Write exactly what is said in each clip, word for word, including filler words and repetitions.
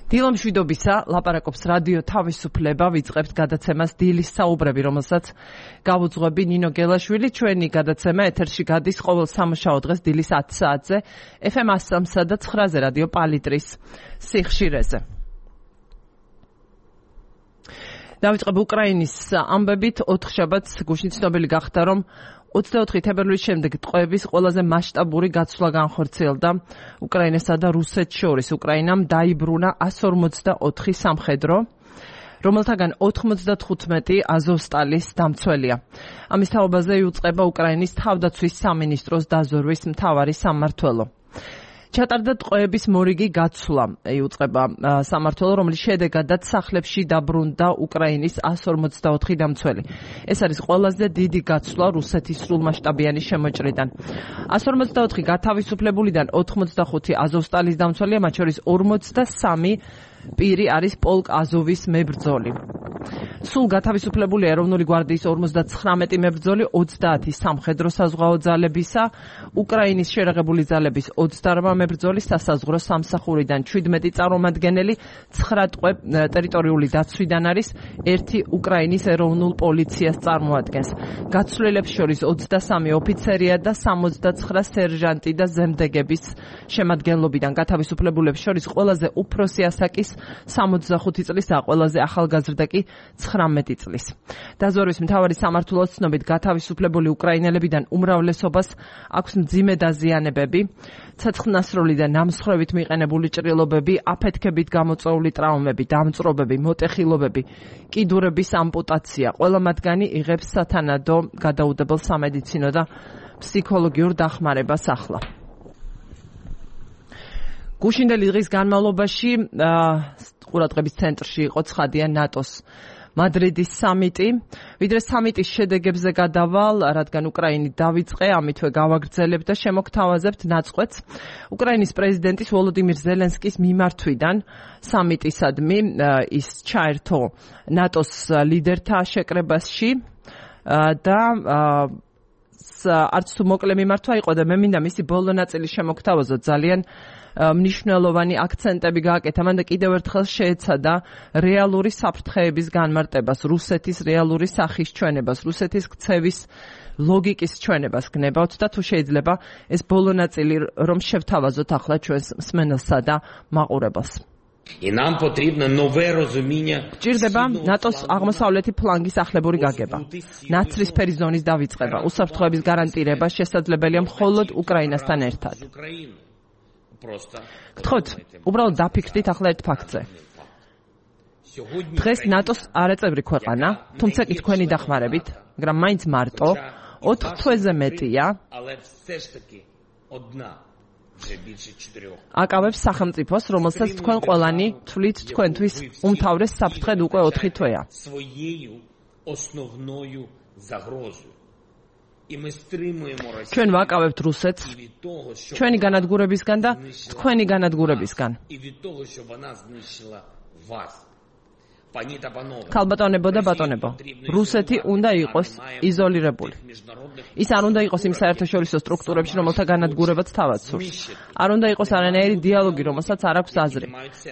დილამშვიდობისა, ლაპარაკობს რადიო თავისუფლება, ვიწყებთ გადაცემას დილის საუბრები, რომელსაც გავუძღვები ნინო გელაშვილი. ჩვენი გადაცემა ეთერში გადის ყოველ სამუშაო დღეს დილის ათი საათზე, ეფ ემ one oh three და nine-ზე რადიო პალიტრის სიხშირეზე. დავიწყებ უკრაინის ამბებით. ოთხშაბათს გუშინ ცნობილი გახდა, რომ ოცდაოთხი თებერვლის შემდეგ ტყვეების ყველაზე მასშტაბური გაცვლა განხორციელდა უკრაინასა და რუსეთს შორის. უკრაინამ დაიბრუნა one forty-four სამხედრო, რომელთაგან ninety-five აზოვსტალის დამცველია. ამის თაობაზე იუწყება უკრაინის თავდაცვის სამინისტროს დაზვერვის მთავარი სამმართველო. ჩატარდა ტყვეების მორიგი გაცვლა, იუწყება სამმართველო, რომლის შედეგადაც სახლებში დაბრუნდა უკრაინის one forty-four დამცველი. ეს არის ყველაზე დიდი გაცვლა რუსეთის სრულმასშტაბიანი შემოჭრიდან. one forty-four გათავისუფლებულიდან ninety-five აზოვსტალის დამცველია, მათ შორის forty-three პირი არის პოლკ აზოვის მებრძოლი. სულ გათავისუფლებული ეროვნული გვარდიის fifty-nine მებრძოლი, twenty სამხედრო საზღვაო ძალებისა, უკრაინის შერაღებული ძალების twenty-eight მებრძოლი, სასაზღვრო სამსახურიდან seventeen წარმომადგენელი, nine ტყვე ტერიტორიული დაცვიდან არის, one უკრაინის ეროვნულ პოლიციას წარმოადგენს. გაცვლილებს შორის twenty-three ოფიცერია და seventy-nine სერჟანტი და ზემდეგების შემადგენლობიდან. გათავისუფლებულებს შორის ყველაზე უფროსი ასაკის seventy-five წლის და ყველაზე ახალგაზრდა კი nineteen წლის. დაზვერვის მთავარი სამმართველოს ცნობით გათავისუფლებული უკრაინელებიდან უმრავლესობას აქვს მძიმე დაზიანებები, ცეცხლნასროლი და ნამსხვრევით მიყენებული ჭრილობები, აფეთქებით გამოწვეული ტრავმები, დამწრობები, მოტეხილობები, კიდურების ამპუტაცია. ყველა მათგანი იღებს სათანადო გადაუდებელ სამედიცინო და ფსიქოლოგიურ დახმარებას ახლა. გუშინდელი დღის განმავლობაში ყურადღების ცენტრში იყო ცხადია ნატოს მადრიდის სამიტი. ვიდრე სამიტის შედეგებზე გადავალ, რადგან უკრაინი დავიწყე, ამითვე გავაგრძელებ და შემოგთავაზებთ ნაწყვეტს უკრაინის პრეზიდენტის ვოლოდიმირ ზელენსკის მიმართვიდან სამიტისადმი ის ჩაერთო ნატოს ლიდერთა შეკრებაში და არც თუ მოკლე მიმართვა იყო და მე მინდა მისი ბოლო ნაწილი შემოგთავაზოთ. ძალიან მნიშვნელოვანი აქცენტები გააკეთა მან და კიდევ ერთხელ შეეცადა რეალური საფრთხეების განმარტებას, რუსეთის რეალური სახის ჩვენებას, რუსეთის ქცევის ლოგიკის ჩვენებას გნებავთ და თუ შეიძლება ეს ბოლო ნაწილი რომ შევთავაზოთ ახლა ჩვენს მსმენელსა და მაყურებელს. І нам потрібно нове розуміння. ჭირდება ნატოს აღმოსავლეთი ფლანგის ახლებური გაგება, ნაცრისფერი ზონის დავიწყება, უსაფრთხოების გარანტირება შესაძლებელია მხოლოდ უკრაინასთან ერთად. გთხოვთ, უბრალოდ დაფიქრდით ახლა ერთ ფაქტზე. დღეს ნატოს არაწევრი ქვეყანა, თუმცა კი თქვენი დახმარებით, მაგრამ მაინც მარტო ოთხ თვეზე მეტია აკავებს სახელმწიფოს, რომელსაც თქვენ ყველანი თვლით თქვენთვის უმთავრეს საფრთხედ უკვე ოთხი თვეა. ჩვენ ვაკავებთ რუსეთს ჩვენი განადგურებისგან და თქვენი განადგურებისგან. ქალბატონებო და ბატონებო, რუსეთი უნდა იყოს იზოლირებული. ის არ უნდა იყოს იმ საერთაშორისო სტრუქტურებში, რომელთა განადგურებაც თავად სურს. არ უნდა იყოს არანაირი დიალოგი, რომელსაც არ აქვს აზრი,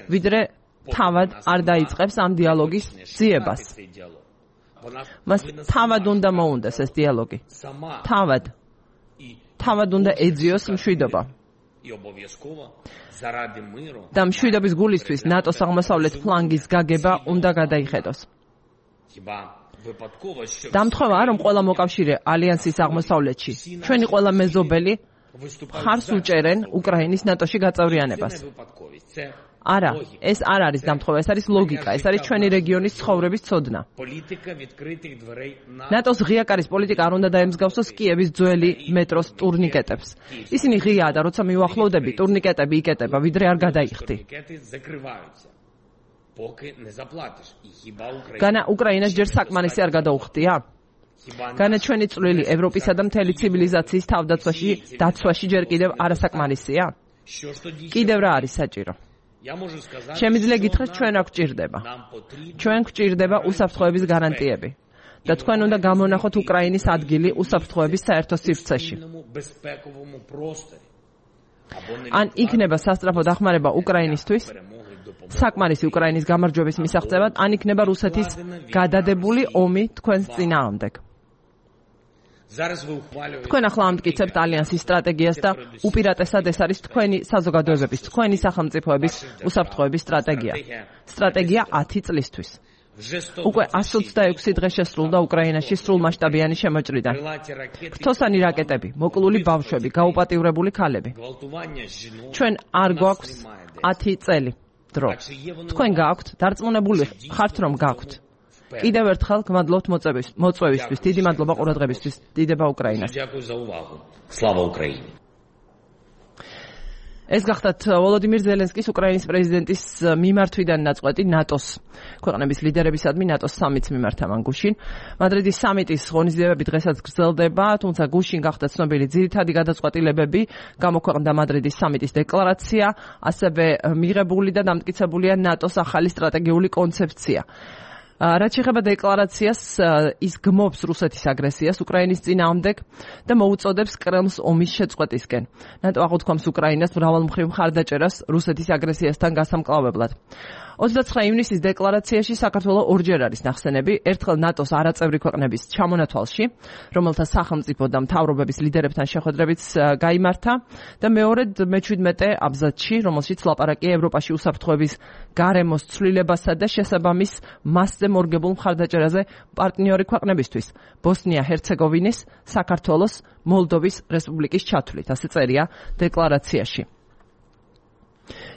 ვიდრე თავად არ დაიწყებს ამ დიალოგის ძიებას. მას თავად უნდა მოუნდეს ეს დიალოგი. თავად. თავად უნდა ეძიოს მშვიდობა. და მშვიდობის გულისთვის ნატოს აღმოსავლეთ ფლანგის გაგება უნდა გადაიხედოს. დამთხოვა, რომ ყველა მოკავშირე ალიანსის აღმოსავლეთში, ჩვენი ყველა მეზობელი მხარს უჭერენ უკრაინის ნატოში გაწევრიანებას. არა, ეს არ არის დამთხოვა, ეს არის ლოგიკა, ეს არის ჩვენი რეგიონის ცხოვრების ცოდნა. ნატოს ღია კარის პოლიტიკა არ უნდა დაემსგავსოს კიევის ძველი მეტროს ტურნიკეტებს. ისინი ღიაა და როცა მიუახლოვდები, ტურნიკეტები იკეტება, ვიდრე არ გადაიხდი. განა უკრაინას ჯერ საკმარისი არ გადაუხდია? განა ჩვენი წვლილი ევროპისა და მთელი ცივილიზაციის თავდაცვაში, დაცვაში ჯერ კიდევ არასაკმარისია? კიდევ რა არის საჭირო? შემიძლია გითხრათ, ჩვენ აქ გვჭირდება. ჩვენ გვჭირდება უსაფრთხოების გარანტიები. და თქვენ უნდა გამონახოთ უკრაინის ადგილი უსაფრთხოების საერთო სივრცეში. ან იქნება სასწრაფო დახმარება უკრაინისთვის, საკმარისი უკრაინის გამარჯვების მისაღწევად, ან იქნება რუსეთის გადადებული ომი თქვენს წინააღმდეგ. თქვენ ახლა ამტკიცებთ ალიანსის სტრატეგიას და უპირატესად ეს არის თქვენი საზოგადოებების, თქვენი სახელმწიფოების უსაფრთხოების სტრატეგია. სტრატეგია ათი წლისთვის. უკვე ათს ოცდაექვსი დღე შესრულდა უკრაინაში სრულმასშტაბიანი შემოჭრიდან. ფრთოსანი რაკეტები, მოკლული ბავშვები, გაუპატიურებული ქალები. ჩვენ არ გვაქვს ათი წელი დრო. თქვენ გაქვთ, დარწმუნებული ხართ რომ გაქვთ. კიდევ ერთხელ გმადლობთ მოწვევისთვის, დიდი მადლობა ყურადღებისთვის, დიდება უკრაინას. Slava Ukraini. ეს გახდათ ვოლოდიმირ ზელენსკის უკრაინის პრეზიდენტის მიმართვიდან ნაწყვეტი ნატოს ქვეყნების ლიდერებისადმი ნატოს სამიტს მიმართა მან გუშინ. მადრიდის სამიტის ღონისძიებები დღესაც გრძელდება, თუმცა გუშინ გახდა ცნობილი ძირითადი გადაწყვეტილებები, გამოქვეყნდა მადრიდის სამიტის დეკლარაცია, ასევე მიღებული და დამტკიცებულია ნატოს ახალი სტრატეგიული კონცეფცია. რაც შეეხება დეკლარაციას, ის გმობს რუსეთის აგრესიას უკრაინის წინააღმდეგ და მოუწოდებს კრემლს ომის შეწყვეტისკენ. ნატო აღუთქვამს უკრაინას მრავალმხრივ მხარდაჭერას რუსეთის აგრესიასთან გასამკლავებლად. ოცდაცხრა ივნისის დეკლარაციაში საქართველოს ორჯერ არის ნახსენები, ერთხელ ნატოს არაწევრი ქვეყნების ჩამონათვალში, რომელთა სახელმწიფო და მთავრობების ლიდერებთან შეხვედრებიც გაიმართა და მეორედ მეჩვიდმეტე აბზაცში, რომელშიც ლაპარაკია ევროპაში უსაფრთხოების გარემოს ცვლილებასა და შესაბამის მასზე მორგებულ მხარდაჭერაზე პარტნიორი ქვეყნებისთვის, ბოსნია-ჰერცეგოვინის, საქართველოს, მოლდოვის რესპუბლიკის ჩათვლით, ასე წერია დეკლარაციაში.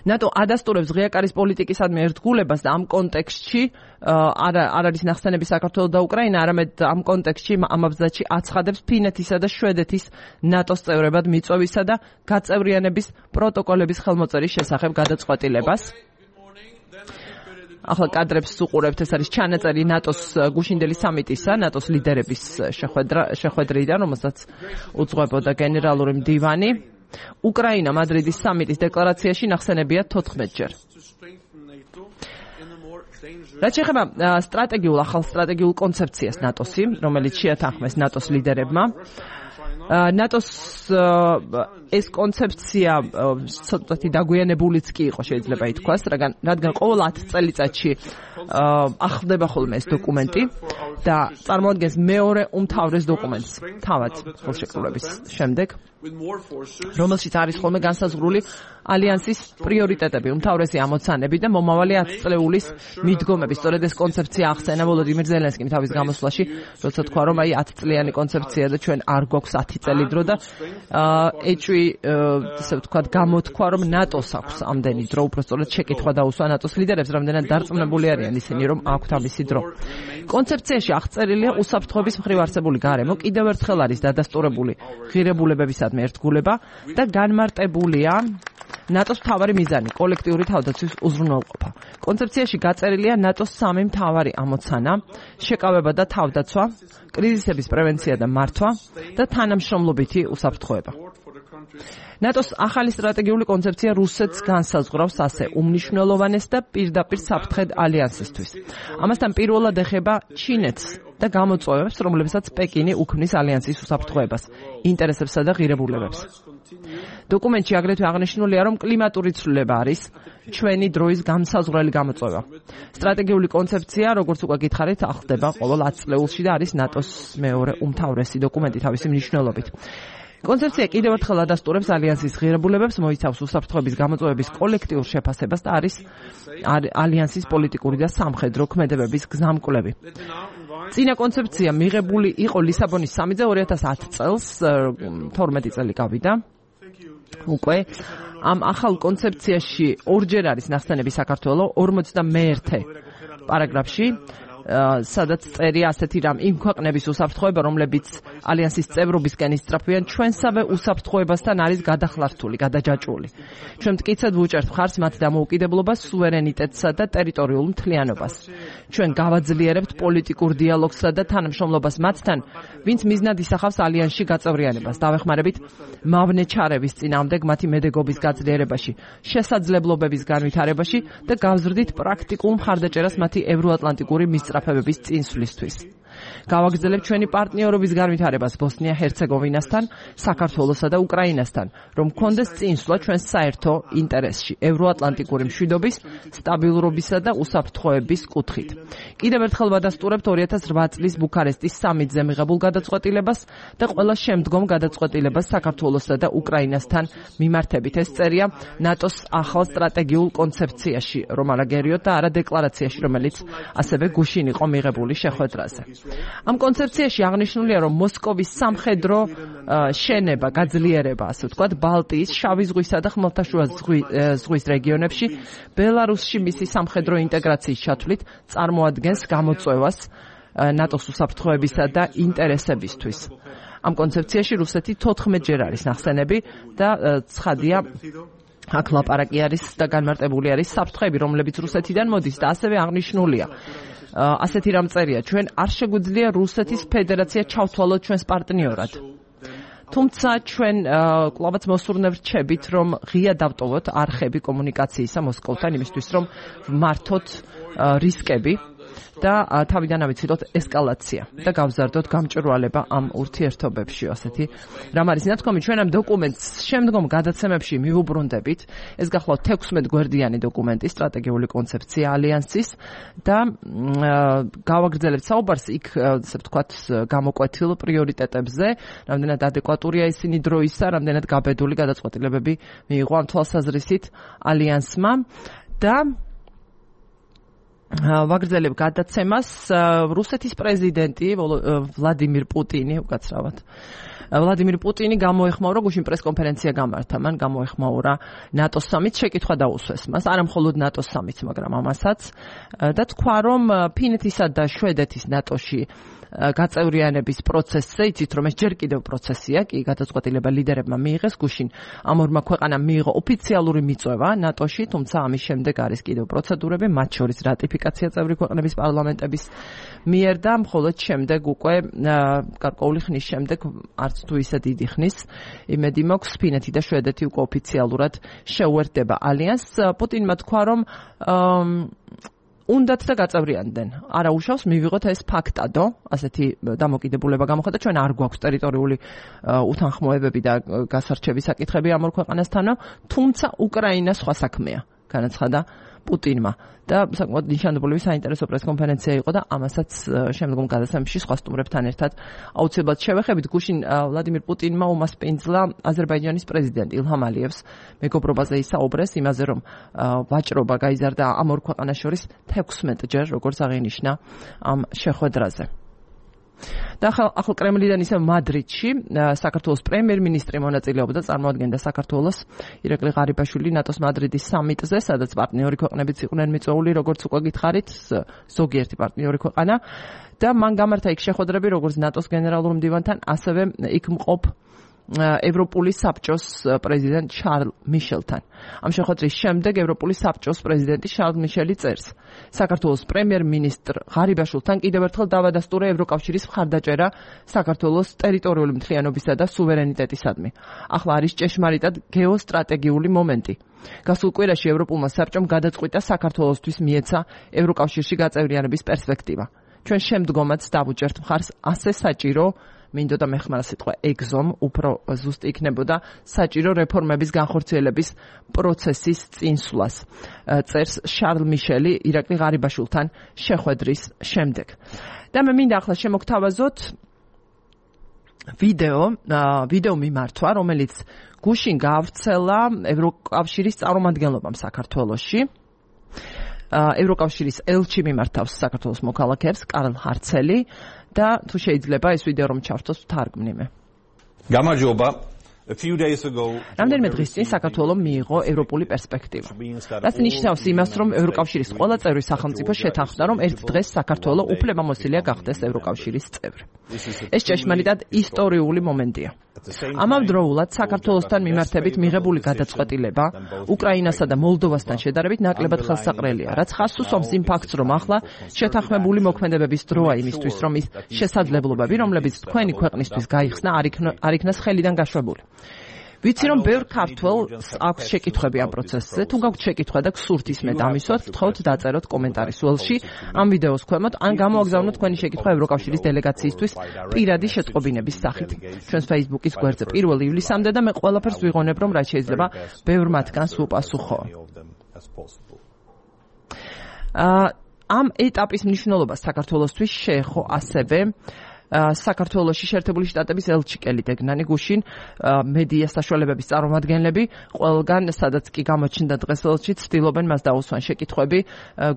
ნატო ადასტურებს ღია კარის პოლიტიკისადმი ერთგულებას და ამ კონტექსტში არ არის ნახსენები საქართველოს და უკრაინა, არამედ ამ კონტექსტში ამ აბზაცში აცხადებს ფინეთისა და შვედეთის ნატოს წევრებად მიწვევისა და გაწევრიანების პროტოკოლების ხელმოწერის შესახებ გადაწყვეტილებას. ახლა კადრებს უყურებთ, ეს არის ჩანაწერი ნატოს გუშინდელი სამიტისა, ნატოს ლიდერების შეხვედრა შეხვედრიდან, რომელსაც უძღვებოდა გენერალური მდივანი. უკრაინა მადრიდის სამიტის დეკლარაციაში ნახსენებია თოთხმეტჯერ. რაც შეეხება სტრატეგიულ ახალ სტრატეგიულ კონცეფციას ნატოსი, რომელიც შეათანხმეს ნატოს ლიდერებმა, ნატოს ეს კონცეფცია ცოტათი დაგვიანებულიც კი იყო, შეიძლება ითქვას, რადგან ყოველ ათ წელიწადში ახლდება ხოლმე ეს დოკუმენტი და წარმოადგენს მეორე უმთავრეს დოკუმენტს თავად ხელშეკრულების შემდეგ, რომელშიც არის ხოლმე განსაზღვრული ალიანსის პრიორიტეტები, უმთავრესი ამოცანები და მომავალი ათწლეულის მიდგომები. სწორედ ეს კონცეფცია ახსენა ვოლოდიმირ ზელენსკიმ თავის გამოსვლაში, როცა თქვა, რომ აი ათწლიანი კონცეფცია და ჩვენ არ გვაქვს ათი წელი დრო და ეჭვი, ესე ვთქვათ, გამოთქვა, რომ ნატოს აქვს ამდენი დრო, უფრო სწორედ შეკითხვა დაუსვა ნატოს ლიდერებს, რამდენად დარწმუნებული არიან ისინი, რომ აქვთ ამისი დრო. კონცეფციაში აღწერილია უსაფრთხოების მხრივ არსებული გარემო, კიდევ ერთხელ არის დადასტურებული ღირებულებებისადმი ერთგულება და განმარტებულია ნატოს მთავარი მიზანი, კოლექტიური თავდაცვის უზრუნველყოფა. კონცეფციაში გაწერილია ნატოს სამი მთავარი ამოცანა: შეკავება და თავდაცვა, კრიზისების პრევენცია და მართვა და თანამშრომლობითი უსაფრთხოება. ნატოს ახალი სტრატეგიული კონცეფცია რუსეთს განსაზღვრავს ასე უმნიშვნელოვანეს და პირდაპირ საფრთხედ ალიანსისთვის. ამასთან პირველად ეხება ჩინეთს და გამოწვევებს, რომლებსაც პეკინი უქმნის ალიანსის უსაფრთხოებას, ინტერესებსა და ღირებულებებს. დოკუმენტში აგრეთვე აღნიშნულია, რომ კლიმატური ცვლილება არის ჩვენი დროის განსაზღვრელი გამოწვევა. სტრატეგიული კონცეფცია, როგორც უკვე გითხარით, ახლდება ყოველ ათ წლეულში და არის ნატოს მეორე უმთავრესი დოკუმენტი თავისი მნიშვნელობით. კონცეფცია კიდევ ერთხელ ადასტურებს ალიანსის ღირებულებებს, მოიცავს უსაფრთხოების გამოწვევების კოლექტიურ შეფასებას და არის ალიანსის პოლიტიკური და სამხედრო ქმედებების გზამკვლევი. წინა კონცეფცია მიღებული იყო ლისაბონის სამიტზე ორი ათას ათ წელს, თორმეტი წელი გავიდა. უკვე ამ ახალ კონცეფციაში ორჯერ არის ნახსენები საქართველოს ორმოცდამეერთე პარაგრაფში, სადაც წერია ასეთი რამ: იმ ქვეყნების უსაფრთხოება, რომლებიც ალიანსის წევრობისკენ ისწრაფვიან, ჩვენსავე უსაფრთხოებასთან არის გადახლართული, გადაჯაჭვული. ჩვენ მტკიცედ ვუჭერთ მხარს მათ დამოუკიდებლობას, სუვერენიტეტსა და ტერიტორიულ მთლიანობას. ჩვენ გავაძლიერებთ პოლიტიკურ დიალოგსა და თანამშრომლობას მათთან, ვინც მიზნად ისახავს ალიანსში გაწევრიანებას. დავეხმარებით მავნე ჩარევის წინააღმდეგ მათი მედეგობის გაძლიერებაში, შესაძლებლობების განვითარებაში და გავზრდით პრაქტიკულ მხარდაჭერას მათი ევროატლანტიკური მისწრაფებების წინსვლისთვის. გავაგრძელებთ ჩვენი პარტნიორობის განვითარებას ბოსნია-ჰერცეგოვინასთან, საქართველოსა და უკრაინასთან, რომ გქონდეს წინსვლა ჩვენს საერთო ინტერესში, ევროატლანტიკური მშვიდობის, სტაბილურობისა და უსაფრთხოების კუთხით. კიდევ ერთხელ ვადასტურებთ ორი ათას რვა წლის ბუქარესტის სამიტზე მიღებულ გადაწყვეტილებას და ყველა შემდგომ გადაწყვეტილებას საქართველოსა და უკრაინასთან მიმართებით. ეს წერია ნატოს ახალ სტრატეგიულ კონცეფციაში, რომ არა გერიოთ და არა დეკლარაციაში, რომელიც ასევე გუშინ იყო მიღებული შეხვედრაზე. ამ კონცეფციაში აღნიშნულია, რომ მოსკოვის სამხედრო შენება, გაძლიერება, ასე ვთქვათ, ბალტიის, შავი ზღვისა და ხმელთაშუა ზღვის რეგიონებში, ბელარუსში მისი სამხედრო ინტეგრაციის ჩათვლით წარმოადგენს გამოწვევას ნატოს უსაფრთხოებისა და ინტერესებისთვის. ამ კონცეფციაში რუსეთი თოთხმეტჯერ არის ნახსენები და ცხადია აქ ლაპარაკი არის და განმარტებული არის საფრთხეები, რომლებიც რუსეთიდან მოდის და ასევე აღნიშნულია. ასეთი რამ წერია, ჩვენ არ შეგვიძლია რუსეთის ფედერაცია ჩავთვალოთ ჩვენს პარტნიორად. თუმცა ჩვენ კლავაც მოსურნებთ, რომ ღია დავტოვოთ არხები კომუნიკაციისა მოსკოვთან იმისთვის, რომ მართოთ რისკები და თავიდან ავიცილოთ ესკალაცია და გავზარდოთ გამჭვირვალება ამ ურთიერთობებში. ასეთი რამ არის ნათქვამი, ჩვენ ამ დოკუმენტს შემდგომ გადაცემებში მივუბრუნდებით. ეს გახლავთ თექვსმეტ გვერდიანი დოკუმენტი, სტრატეგიული კონცეფცია ალიანსის და გავაგრძელებთ საუბარს იქ, ასე ვთქვათ, გამოკვეთილ პრიორიტეტებზე, რამდენად ადეკვატურია ისინი დროისა, რამდენად გაბედული გადაწყვეტილებები მიიღო ამ თვალსაზრისით ალიანსმა და ვაგრძელებ გადაცემას რუსეთის პრეზიდენტი ვლადიმირ პუტინი უკაცრავად ვლადიმირ პუტინი გამოეხმაურა გუშინ პრესკონფერენცია გამართა, მან გამოეხმაურა ნატოს სამიტს, შეკითხვა დაუსვეს მას, არა მხოლოდ ნატოს სამიტს, მაგრამ ამასაც და თქვა, რომ ფინეთისა და შვედეთის ნატოში გაწევრიანების პროცესზე, იცით რომ ეს ჯერ კიდევ პროცესია, კი გადაწყვეტილება ლიდერებმა მიიღეს, გუშინ ამ ორმა ქვეყანამ მიიღო ოფიციალური მიწვევა ნატოში, თუმცა ამის შემდეგ არის კიდევ პროცედურები, მათ შორის რატიფიკაცია წევრი ქვეყნების პარლამენტების მიერ და მხოლოდ შემდეგ უკვე გარკვეული ხნის შემდეგ არც თუ ისე დიდი ხნის იმედი მაქვს ფინეთი და შვედეთი უკვე ოფიციალურად შეუერთდება ალიანსს. პუტინმა თქვა, რომ უნდათ და გაწევრიანდნენ. არა უშავს მივიღოთ ეს ფაქტადო, ასეთი დამოკიდებულება გამოხდა, ჩვენ არ გვაქვს ტერიტორიული უთანხმოებები და გასარჩევის საკითხები ამ ორ ქვეყანასთანო, თუმცა უკრაინა სხვა საქმეა, განაცხადა პუტინმა. და საკმაოდ ნიშანდობლივი საინტერესო პრესკონფერენცია იყო და ამასაც შემდგომ გადაცემებში სხვა სტუმრებთან ერთად აუცილებლად შევეხებით. გუშინ ვლადიმირ პუტინმა უმასპინძლა აზერბაიჯანის პრეზიდენტ ილჰამ ალიევს მეგობრობაზე ისაუბრეს, იმაზე რომ ვაჭრობა გაიზარდა ამ ორ ქვეყანას შორის თექვსმეტჯერ, როგორც აღინიშნა ამ შეხვედრაზე. და ახლა კრემლიდან ისე მადრიდში საქართველოს პრემიერ-მინისტრი მონაწილეობდა, წარმოადგენდა საქართველოს ირაკლი ღარიბაშვილი ნატოს მადრიდის სამიტზე, სადაც პარტნიორი ქვეყნებიც იყვნენ მიწვეული, როგორც უკვე გითხარით, ზოგიერთი პარტნიორი ქვეყანა და მან გამართა იქ შეხვედრები როგორც ნატოს გენერალურ მდივანთან, ასევე იქ მყოფ ევროპული საბჭოს პრეზიდენტ შარლ მიშელთან. ამ შეხვედრის შემდეგ ევროპული საბჭოს პრეზიდენტი შარლ მიშელი წერს, საქართველოს პრემიერ-მინისტრ ღარიბაშვილთან კიდევ ერთხელ დავადასტურა ევროკავშირის მხარდაჭერა საქართველოს ტერიტორიული მთლიანობისა და სუვერენიტეტისადმი. ახლა არის ჭეშმარიტად გეოსტრატეგიული მომენტი. გასულ კვირაში ევროპულმა საბჭომ გადაწყვიტა საქართველოსთვის მიეცა ევროკავშირში გაწევრიანების პერსპექტივა. ჩვენ შემდგომაც დავუჭერთ მხარს ასე საჭირო მინდოდა მეხმარა სიტყვა ეგზომ, უფრო ზუსტი იქნებოდა საჭირო რეფორმების განხორციელების პროცესის წინსვლას. წერს შარლ მიშელი ირაკლი ღარიბაშვილთან შეხვედრის შემდეგ. და მე მინდა ახლა შემოგთავაზოთ ვიდეო, ვიდეო მიმართვა, რომელიც გუშინ გაავრცელა ევროკავშირის წარმომადგენლობამ საქართველოში. ევროკავშირის ელჩი მიმართავს საქართველოს მოქალაქეებს, კარლ ჰარცელი და თუ შეიძლება ეს ვიდეო რომ ჩავთვალოთ თარგმნიმე. გამარჯობა. რამდენიმე დღის წინ საქართველომ მიიღო ევროპული პერსპექტივა. რაც ნიშნავს იმას, რომ ევროკავშირის ყველა წევრი სახელმწიფო შეთანხმდა, რომ ერთ დღეს საქართველო უფლებამოსილია გახდეს ევროკავშირის წევრი. ეს ჭეშმარიტად ისტორიული მომენტია. ამავდროულად საქართველოსთან მიმართებით მიღებული გადაწყვეტილება უკრაინასა და მოლდოვასთან შედარებით ნაკლებად ხელსაყრელია, რაც ხაზს უსვამს იმ ფაქტს, რომ ახლა შეთანხმებული მოქმედებების დროა იმისთვის, რომ ის შესაძლებლობები, რომლებიც თქვენი ქვეყნისთვის გაიხსნა, არ იქნას ხელიდან გაშვებული. ვიცი რომ ბევრ ქართველს აქვს შეკითხვები ამ პროცესზე, თუ გაქვთ შეკითხვა და გსურთ ისმეთ ამისვათ, გთხოვთ დაწეროთ კომენტარის ველში ამ ვიდეოს ქვემოთ, ან გამოაგზავნოთ თქვენი შეკითხვა ევროკავშირის დელეგაციისთვის პირადი შეტყობინების სახით. ჩვენს Facebook-ის გვერდზე პირველ ივლისამდე და მე ყველაფერს ვიღონებ, რომ რაც შეიძლება ბევრ მათგანს უპასუხო. ამ ეტაპის მნიშვნელობა საქართველოსთვის შეეხო ასევე საქართველოში შეერთებული შტატების ელჩი კელი დეგნანი გუშინ მედია საშუალებების წარმომადგენლები ყველგან სადაც კი გამოჩნდა დღეს ელჩი ცდილობენ მას დაუსვან შეკითხვები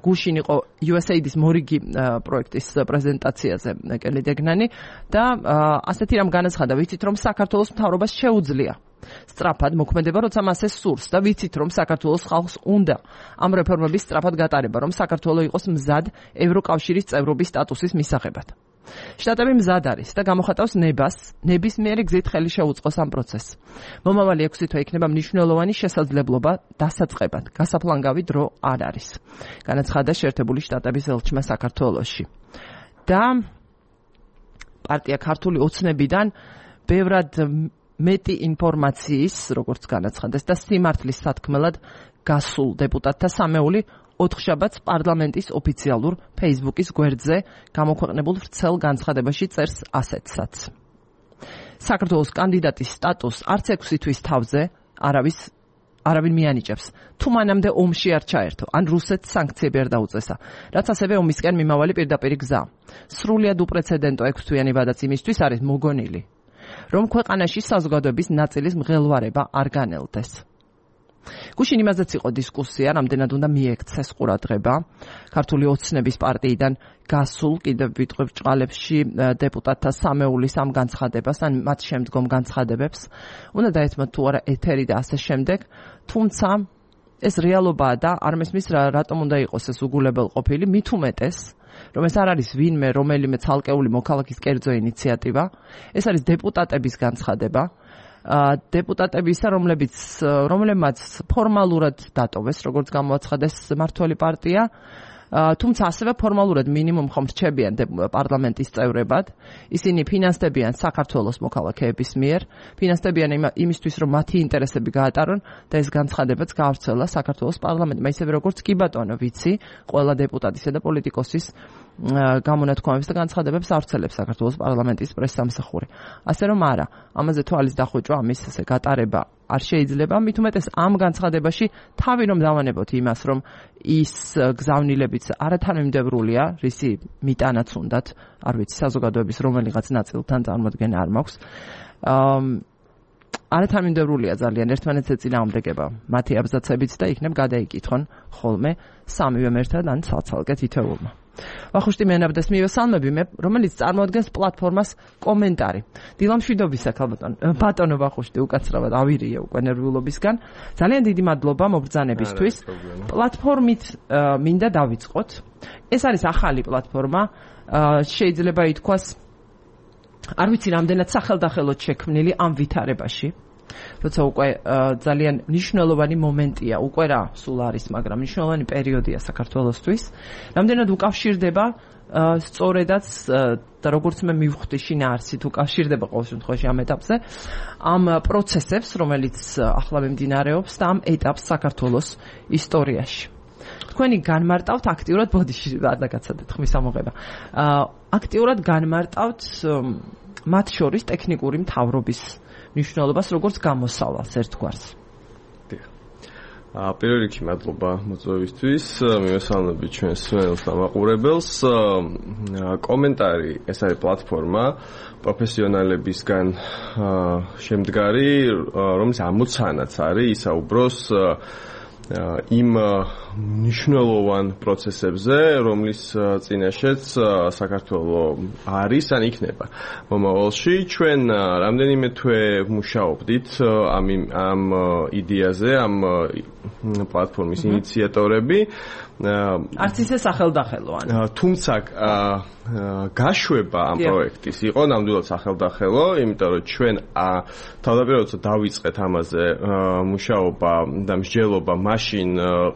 გუშინ იყო იუ ეს ეი დის მორიგი პროექტის პრეზენტაციაზე კელი დეგნანი და ასეთი რამ განაცხადა ვიცით რომ საქართველოს მთავრობას შეუძლია სწრაფად მოქმედება როცა მას ეს სურს და ვიცით რომ საქართველოს ხალხს უნდა ამ რეფორმების სწრაფად გატარება რომ საქართველო იყოს მზად ევროკავშირის წევრობის სტატუსის მისაღებად. შტატები მზად არის და გამოხატავს ნებას, ნებისმიერი გზით ხელი შეუწყოს ამ პროცესს. მომავალი ექვსი თვე იქნება მნიშვნელოვანი შესაძლებლობა დასაწყებად. გასაფლანგავი დრო არ არის. განაცხადა შეერთებული შტატების ელჩმა საქართველოში. და პარტია ქართული ოცნებიდან ბევრად მეტი ინფორმაციის, როგორც განაცხადეს და სიმართლის სათქმელად გასულ დეპუტატთა სამეული ოთხშაბათს პარლამენტის ოფიციალურ Facebook-ის გვერდზე გამოქვეყნებულ ვრცელ განცხადებაში წერს ასეთსაც. საქართველოს კანდიდატის სტატუსს არც ექვსი თვის თავზე არავის არავინ მიანიჭებს, თუ მანამდე ომში არ ჩაერთო, ან რუსეთს სანქციები არ დაუწესა, რაც ასევე ომისკენ მიმავალი პირდაპირი გზა. სრულიად უპრეცედენტო ექვსთვიანი ვადაც იმისთვის არის მოგონილი, რომ ქვეყანაში საზოგადოების ნაწილის მღელვარება არ განელდეს. გუშინ იმაზეც იყო დისკუსია, რამდენად უნდა მიექცეს ყურადღება ქართული ოცნების პარტიიდან გასულ კიდევ ვიტყვი ბრჭყალებში დეპუტატთა სამეულის ამ განცხადებას, ან მათ შემდგომ განცხადებებს. უნდა დაეთმოთ თუ არა ეთერი და ასე შემდეგ, თუმცა ეს რეალობაა და არ მესმის რატომ უნდა იყოს ეს უგულებელ ყოფილი, მით უმეტეს რომ ეს არ არის ვინმე რომელიმე ცალკეული მოქალაქის კერძო ინიციატივა, ეს არის დეპუტატების განცხადება, დეპუტატებისა, რომლებიც რომლებმაც ფორმალურად დატოვეს, როგორც გამოაცხადეს მმართველი პარტია, თუმცა ასევე ფორმალურად მინიმუმ ხომ რჩებიან პარლამენტის წევრებად. ისინი ფინანსდებიან საქართველოს მოქალაქეების მიერ, ფინანსდებიან იმისთვის, რომ მათი ინტერესები გაატარონ და ეს განცხადებაც გაავრცელა საქართველოს პარლამენტმა, ისევე როგორც კი ბატონო ვიცი, ყველა დეპუტატისა და პოლიტიკოსის გამონათქვამებს და განცხადებებს ავრცელებს საქართველოს პარლამენტის პრესსამსახური. ასე რომ არა, ამაზე თვალის დახვეჭვა ამის ესე გატარება არ შეიძლება, მით უმეტეს ამ განცხადებაში თავი რომ დავანებოთ იმას, რომ ის გზავნილებიც არათანმიმდევრულია, რისი მიტანაც უნდათ, არ ვიცი, საზოგადოების რომელიღაც ნაწილთან წარმოდგენა არ მაქვს. არათანმიმდევრულია ძალიან ერთმანეთს ეწინააღმდეგება მათი აბზაცებიც და იქნებ გადაიკითხონ ხოლმე სამივემ ერთად ან ცალ-ცალკე თითოეულმა. ვახუშტი მენაბდეს მივესალმები მე, რომელიც წარმოადგენს პლატფორმას კომენტარი. დილამშვიდობისა ქალბატონო, ბატონო ვახუშტი, უკაცრავად ავირია უკვე ნერვიულობისგან. ძალიან დიდი მადლობა მობრძანებისთვის. პლატფორმით მინდა დავიწყოთ. ეს არის ახალი პლატფორმა, შეიძლება ითქვას, არ ვიცი რამდენად სახელდახელოდ შექმნილი ამ ვითარებაში. როცა უკვე ძალიან მნიშვნელოვანი მომენტია, უკვე რა სულ არის, მაგრამ მნიშვნელოვანი პერიოდია საქართველოსთვის. რამდენად უკავშირდება სწორედაც და როგორც მე მივხვდი შინაარსით უკავშირდება ყოველ შემთხვევაში ამ ეტაპზე ამ პროცესებს, რომელიც ახლა მიმდინარეობს და ამ ეტაპს საქართველოს ისტორიაში. თქვენი განმარტავთ აქტიურად ბოდიში ადაგაცადეთ ხმის ამოღება. აქტიურად განმარტავთ მათ შორის ტექნიკური მთავრობის მნიშვნელობას როგორც გამოსავალს ერთგვარს. პირველ რიგში მადლობა მოწვევისთვის, მივესალმები ჩვენს სვენელს და მაყურებელს. კომენტარი, ეს არის პლატფორმა პროფესიონალებისგან შემდგარი, რომელიც ამოცანაც არის ისაუბროს იმ მნიშვნელოვან პროცესებზე, რომლის წინაშეც საქართველო არის ან იქნება მომავალში. ჩვენ რამდენიმე თვე მუშაობდით ამ ამ იდეაზე, ამ პლატფორმის ინიციატორები. არც ისე სახელდახელოა. თუმცა გაშვება ამ პროექტის იყო ნამდვილად სახელდახელო, იმიტომ რომ ჩვენ თავდაპირველად დავიწყეთ ამაზე მუშაობა და მსჯელობა მაშინ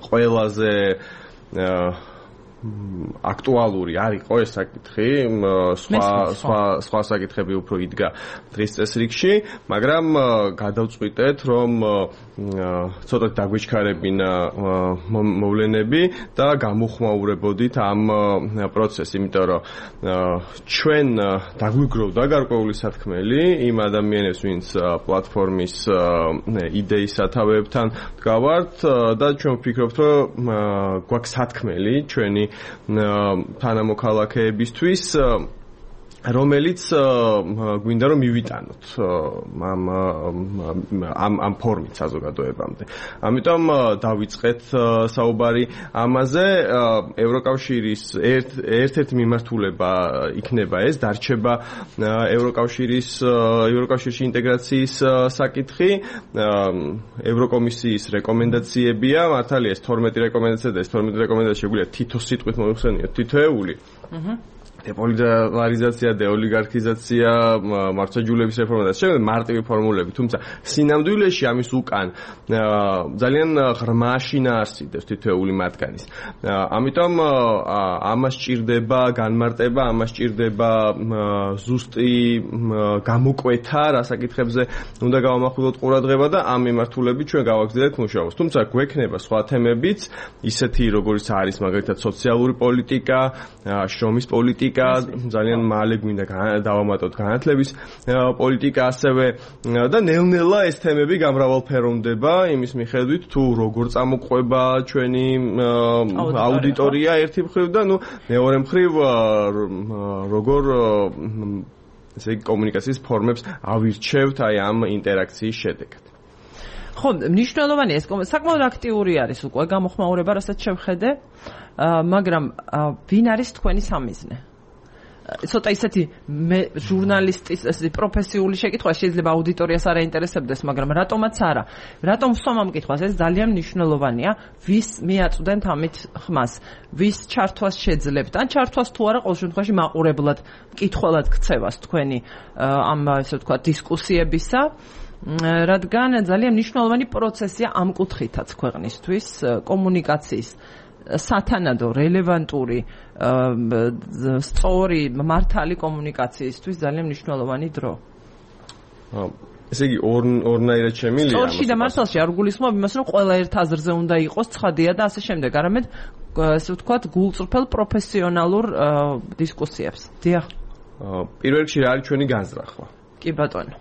ყველაზე აქტუალური არ იყო ეს საკითხი, სხვა სხვა სხვა საკითხები უფრო იდგა დღის წესრიგში, მაგრამ გადავწყვიტეთ, რომ ცოტა დაგვიჩქარებინა მოვლენები და გამოხმაურებოდით ამ პროცესს, იმიტომ რომ ჩვენ დაგვიგროვდა გარკვეული სათქმელი იმ ადამიანებს, ვინც პლატფორმის იდეის სათავეებთან დგავართ და ჩვენ ვფიქრობთ, რომ გვაქვს სათქმელი ჩვენი თანამოქალაქეებისთვის, რომელიც გვინდა რომ მივიტანოთ ამ ამ ამ ფორმით საზოგადოებამდე. ამიტომ დავიწყეთ საუბარი ამაზე. ევროკავშირის ერთ-ერთი მიმართულება იქნება ეს, დარჩება ევროკავშირის ევროკავშირში ინტეგრაციის საკითხი. ევროკომისიის რეკომენდაციებია, მართალია ეს თორმეტი რეკომენდაცია და ეს თორმეტი რეკომენდაცია შეგვიძლია თითო სიტყვით მოიხსენიოთ თითოეული. აჰა. დეპოლიტარიზაცია, დეოლიგარქიზაცია, მართლმსაჯულების რეფორმა და შემდეგ მარტივი ფორმულები, თუმცა სინამდვილეში ამის უკან ძალიან ღრმა შინაარსი დევს თითოეული მათგანის. ამიტომ ამას სჭირდება განმარტება, ამას სჭირდება ზუსტი გამოკვეთა, რა საკითხებზე უნდა გავამახვილოთ ყურადღება და ამ მიმართულებით ჩვენ გავაგრძელებთ მუშაობას. თუმცა გვექნება სხვა თემებიც, ისეთი როგორიც არის მაგალითად სოციალური პოლიტიკა, შრომის პოლიტიკა, ძალიან მალე გვინდა დავამატოთ განათლების პოლიტიკა ასევე და ნელ-ნელა ეს თემები გამრავალფეროვდება იმის მიხედვით თუ როგორ წამოყვება ჩვენი აუდიტორია ერთი მხრივ და ნუ მეორე მხრივ როგორ ესე იგი კომუნიკაციის ფორმებს ავირჩევთ აი ამ ინტერაქციის შედეგად. ხო, მნიშვნელოვანია ეს საკმაოდ აქტიური არის უკვე გამოხმაურება, რასაც შევხედე, მაგრამ ვინ არის თქვენი სამიზნე? ცოტა ისეთი ჟურნალისტის ესეთი პროფესიული შეკითხვა შეიძლება აუდიტორიას არ აინტერესებდეს, მაგრამ რატომაც არა. რატომ ვსვამ ამ კითხვას? ეს ძალიან მნიშვნელოვანია. ვის მიაწვდენთ ამით ხმას? ვის ჩართვას შეძლებთ? ან ჩართვას თუ არა, ყოველ შემთხვევაში მაყურებლად, მკითხველად ქცევას თქვენი ამ ესე ვთქვათ დისკუსიებისა. რადგან ძალიან მნიშვნელოვანი პროცესია ამ კუთხითაც ქვეყნისთვის კომუნიკაციის სათანადო, რელევანტური, სწორი, მართალი კომუნიკაციისთვის ძალიან მნიშვნელოვანი დრო. ესე იგი ორნაირად შემილია. სწორში და მართალში არ გულისხმობ იმას, რომ ყველა ერთ აზრზე უნდა იყოს ცხადია და ასე შემდეგ. არამედ ესე ვთქვათ გულწრფელ პროფესიონალურ დისკუსიებს. დიახ. პირველ რიგში რა არის ჩვენი განზრახვა? კი ბატონო.